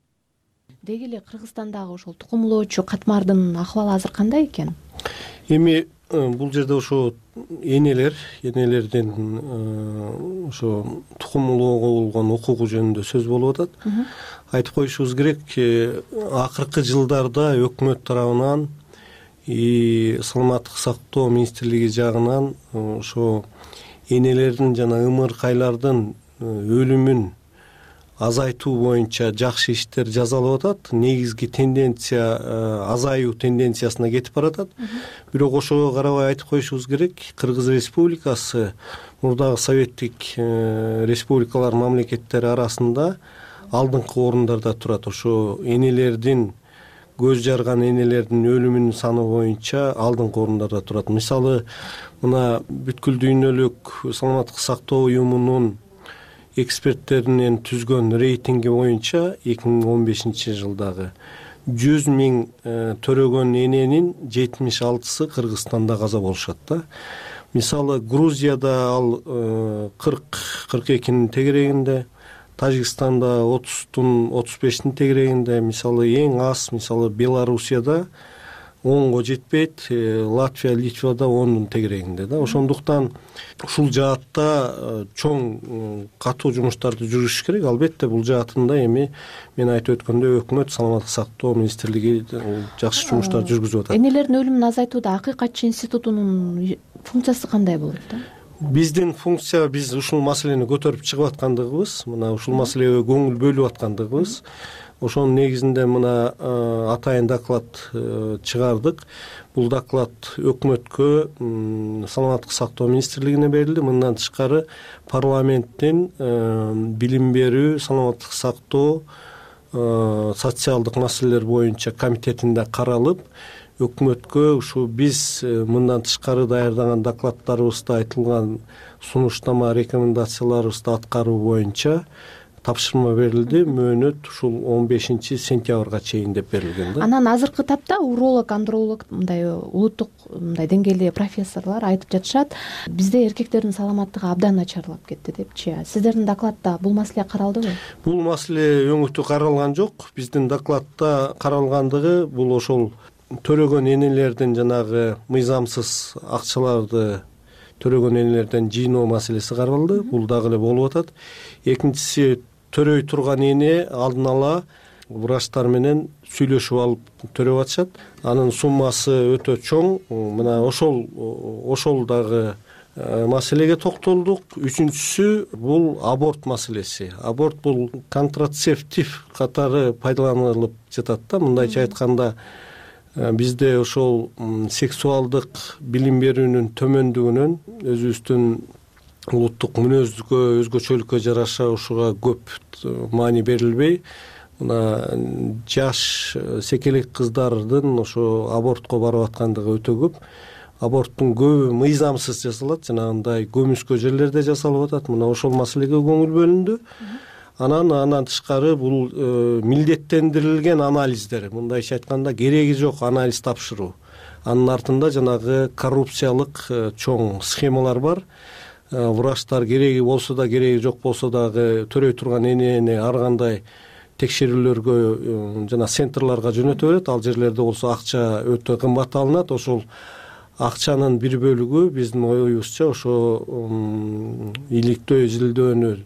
Speaker 7: Деги эле Кыргызстандагы ошол тукум улоочу катмардын акыбалы азыр кандай экен?
Speaker 2: Эми бул жерде ошо энелер, энелердин ошо тукум улоого болгон укугу жөнүндө сөз болуп атат. Айтып коюшубуз керек, акыркы жылдарда өкмөт тарабынан и саламаттык сактоо министрлиги жагынан ошо энелердин жана ымыркайлардын өлүмүн азайтуу боюнча жакшы иштер жасалып атат. Негизги тенденция азаюу тенденциясына кетип баратат. Бирок ошого карабай айтып коюшубуз керек, Кыргыз Республикасы мурдагы советтик республикалар мамлекеттери арасында алдыңкы орундарда турат. Ошо энелердин көз жарган энелердин өлүмүнүн саны боюнча алдыңкы орундарда турат. Мисалы, мына бүткүл дүйнөлүк саламаттык сактоо уюмунун эксперттеринин түзгөн рейтинги боюнча эки миң он бешинчи жылдагы жүз миң төрөгөн эненин жетимиш алтысы Кыргызстанда каза болушат да. Мисалы, Грузияда ал кырк кырк экинин тегерегинде, Тажикстанда отуздун отуз бештин тегерегинде, мисалы эң аз, мисалы Белоруссияда онго жетпейт, Латвия, Литвада ондун тегерегинде да. Ошондуктан ушул жаатта чоң катуу жумуштарды жүргүзүш керек. Албетте бул жаатында эми мен айтып өткөндөй өкмөт, саламаттык сактоо министрлиги жакшы жумуштар жүргүзүп атат.
Speaker 7: Энелердин өлүмүн азайтууда акыйкатчы институтунун функциясы кандай болот да?
Speaker 2: Биздин функция, биз ушул маселени көтөрүп чыгып аткандыгыбыз, мына ушул маселеге көңүл бөлүп аткандыгыбыз. Ошонун негизинде мына атайын доклад чыгардык. Бул доклад өкмөткө, саламаттык сактоо министрлигине берилди. Мындан тышкары парламенттин билим берүү, саламаттык сактоо, социалдык маселелер боюнча комитетинде каралып, өкмөткө ушу биз мындан тышкары даярдаган докладдарыбызда айтылган сунуштама, рекомендацияларыбызды аткаруу боюнча тапшырма берилди. Мөөнөт ушул он бешинчи сентябрга чейин деп берилген да.
Speaker 7: Анан азыркы тапта уролог, андролог, мындай улуттук мындай деңгээлде профессорлор айтып жатышат, бизде эркектердин саламаттыгы абдан начарлап кетти депчи. Сиздердин докладда бул маселе каралдыбы?
Speaker 2: Бул маселе өңүтү каралган жок. Биздин докладда каралгандыгы бул ошол төрөгөн энелердин жанагы мыйзамсыз акчаларды төрөгөн энелерден жыйноо маселеси каралды. Бул дагы эле болуп атат. Экинчиси, төрөй турган эне алдын ала врачтар менен сүйлөшүп алып төрөп атышат. Анын суммасы өтө чоң. Мына ошол ошол дагы маселеге токтолдук. Үчүнчүсү бул аборт маселеси. Аборт бул контрацептив катары пайдаланылып жатат да. Мындайча айтканда, бизде ошол сексуалдык билим берүүнүн төмөндүгүнөн өзүбүздүн улуттук мүнөзгө, өзгөчөлүккө жараша ушуга көп маани берилбей, мына жаш секелек кыздардын ошо абортко барып аткандыгы өтө көп. Аборттун көбү мыйзамсыз жасалат, жанагындай көмүскө жерлерде жасалып атат. Мына ошол маселеге көңүл бөлүндү. Анан андан тышкары бул милдеттендирилген анализдер, мындайча айтканда кереги жок анализ тапшыруу. Анын артында жанагы коррупциялык чоң схемалар бар. Врачтар кереги болсо да, кереги жок болсо дагы төрөй турган энени ар кандай текшерүүлөргө жана центрларга жөнөтө берет. Ал жерлерде болсо акча өтө кымбат алынат. Ошол акчанын бир бөлүгү биздин оюбузча ошо иликтөө, изилдөөнү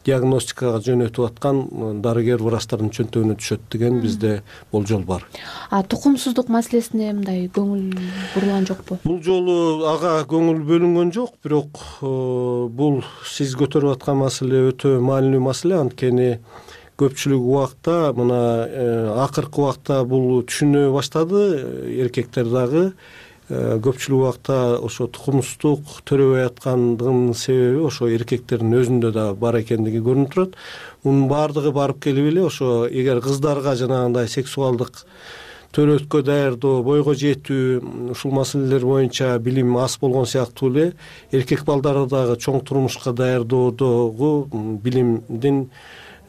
Speaker 2: диагностикага жөнөтүп аткан дарыгер врачтардын чөнтөгүнө түшөт деген бизде болжол бар.
Speaker 7: А тукумсуздук маселесине мындай көңүл бурулган жокпу?
Speaker 2: Бул жолу ага көңүл бөлүнгөн жок, бирок бул сиз көтөрүп аткан маселе өтө маанилүү маселе. Анткени көпчүлүк убакта, мына акыркы убакта бул түшүнө баштады эркектер дагы. Көпчүлүк убакта ошо тукумсуздук төрөбөй аткандыгынын себеби ошо эркектердин өзүндө да бар экендиги көрүнүп турат. Мунун баардыгы барып келип эле ошо эгер кыздарга жанагындай сексуалдык төрөткө даярдоо, бойго жетүү ушул маселелер боюнча билим аз болгон сыяктуу эле эркек балдарды дагы чоң турмушка даярдоодогу билимдин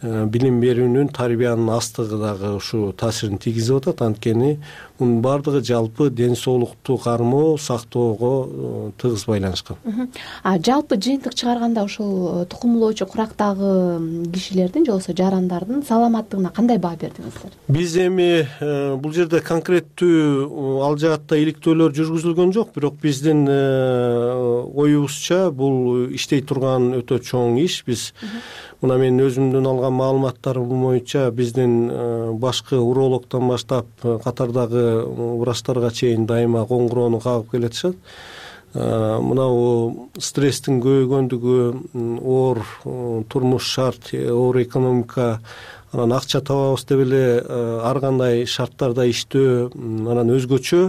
Speaker 2: билим берүүнүн, тарбиянын астыгы дагы ушу таасирин тийгизип атат. Анткени мунун баардыгы жалпы ден соолукту кармоо, сактоого тыгыз байланышкан.
Speaker 7: А жалпы жыйынтык чыгарганда ушул тукумулоочу курактагы кишилердин же болбосо жарандардын саламаттыгына кандай баа бердиңиздер?
Speaker 2: Биз эми бул жерде конкреттүү ал жаатта иликтөөлөр жүргүзүлгөн жок, бирок биздин оюбузча бул иштей турган өтө чоң иш. Биз мына мен өзүмдүн алган маалыматтарым боюнча биздин башкы урологдон баштап катардагы врачтарга чейин дайыма коңгуроону кагып келатышат. Мына стресстин көбөйгөндүгү, оор турмуш шарт, оор экономика, анан акча табабыз деп эле ар кандай шарттарда иштөө, анан өзгөчө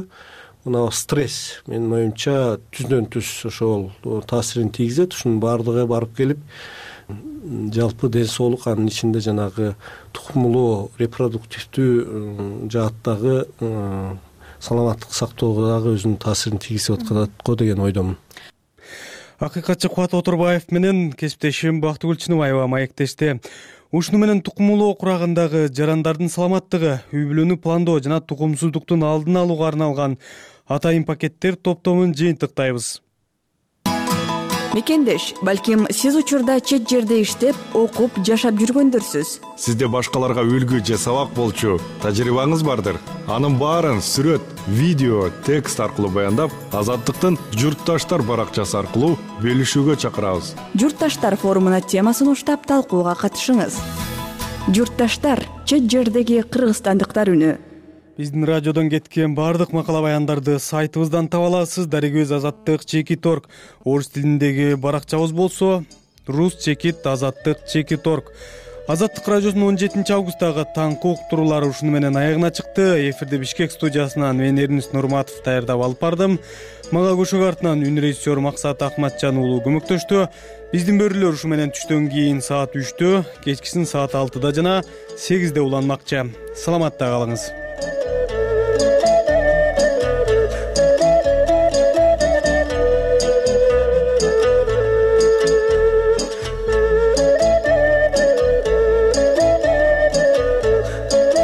Speaker 2: мына стресс менин оюмча түздөн түз ошол таасирин тийгизет. Ушунун баардыгы барып келип жалпы ден соолук, анын ичинде жанагы тукумулуу репродуктивдүү жааттагы саламаттык сактоого дагы өзүнүн таасирин тийгизип аткан го деген ойдомун.
Speaker 1: Акыйкатчы Кубат Оторбаев менен кесиптешим Бактыгүл Чыныбаева маектешти. Ушуну менен тукумулоо курагындагы жарандардын саламаттыгы, үй бүлөнү пландоо жана тукумсуздуктун алдын алууга арналган атайын пакеттер топтомун жыйынтыктайбыз.
Speaker 3: Мекендеш, балким сиз учурда чет жерде иштеп, окуп, жашап жүргөндөрсүз.
Speaker 23: Сизде башкаларга үлгү же сабак болчу тажрыйбаңыз бардыр. Анын баарын сүрөт, видео, текст аркылуу баяндап, Азаттыктын Журтташтар баракчасы аркылуу бөлүшүүгө чакырабыз.
Speaker 3: Журтташтар форумуна темасын уштап талкууга катышыңыз. Журтташтар, чет жердеги кыргызстандыктар үнү.
Speaker 1: Биздин радиодон кеткен бардык макала баяндарды сайтыбыздан таба аласыз. Дарегөз Азаттык Чекит орг. Орус тилиндеги баракчабыз болсо рус чекит азаттык чекит орг. Азаттык радиосунун он жетинчи августтагы таңкы уктуруулары ушуну менен аягына чыкты. Эфирде Бишкек студиясынан мен Эрнис Нурматов даярдап алып бардым. Мага көшөк артынан үн режиссер Максат Акматжан уулу көмөктөштү. Биздин бөрүлөр ушу менен түштөн кийин саат үчтө, кечкисин саат алтыда жана сегизде уланмакчы. Саламатта калыңыз.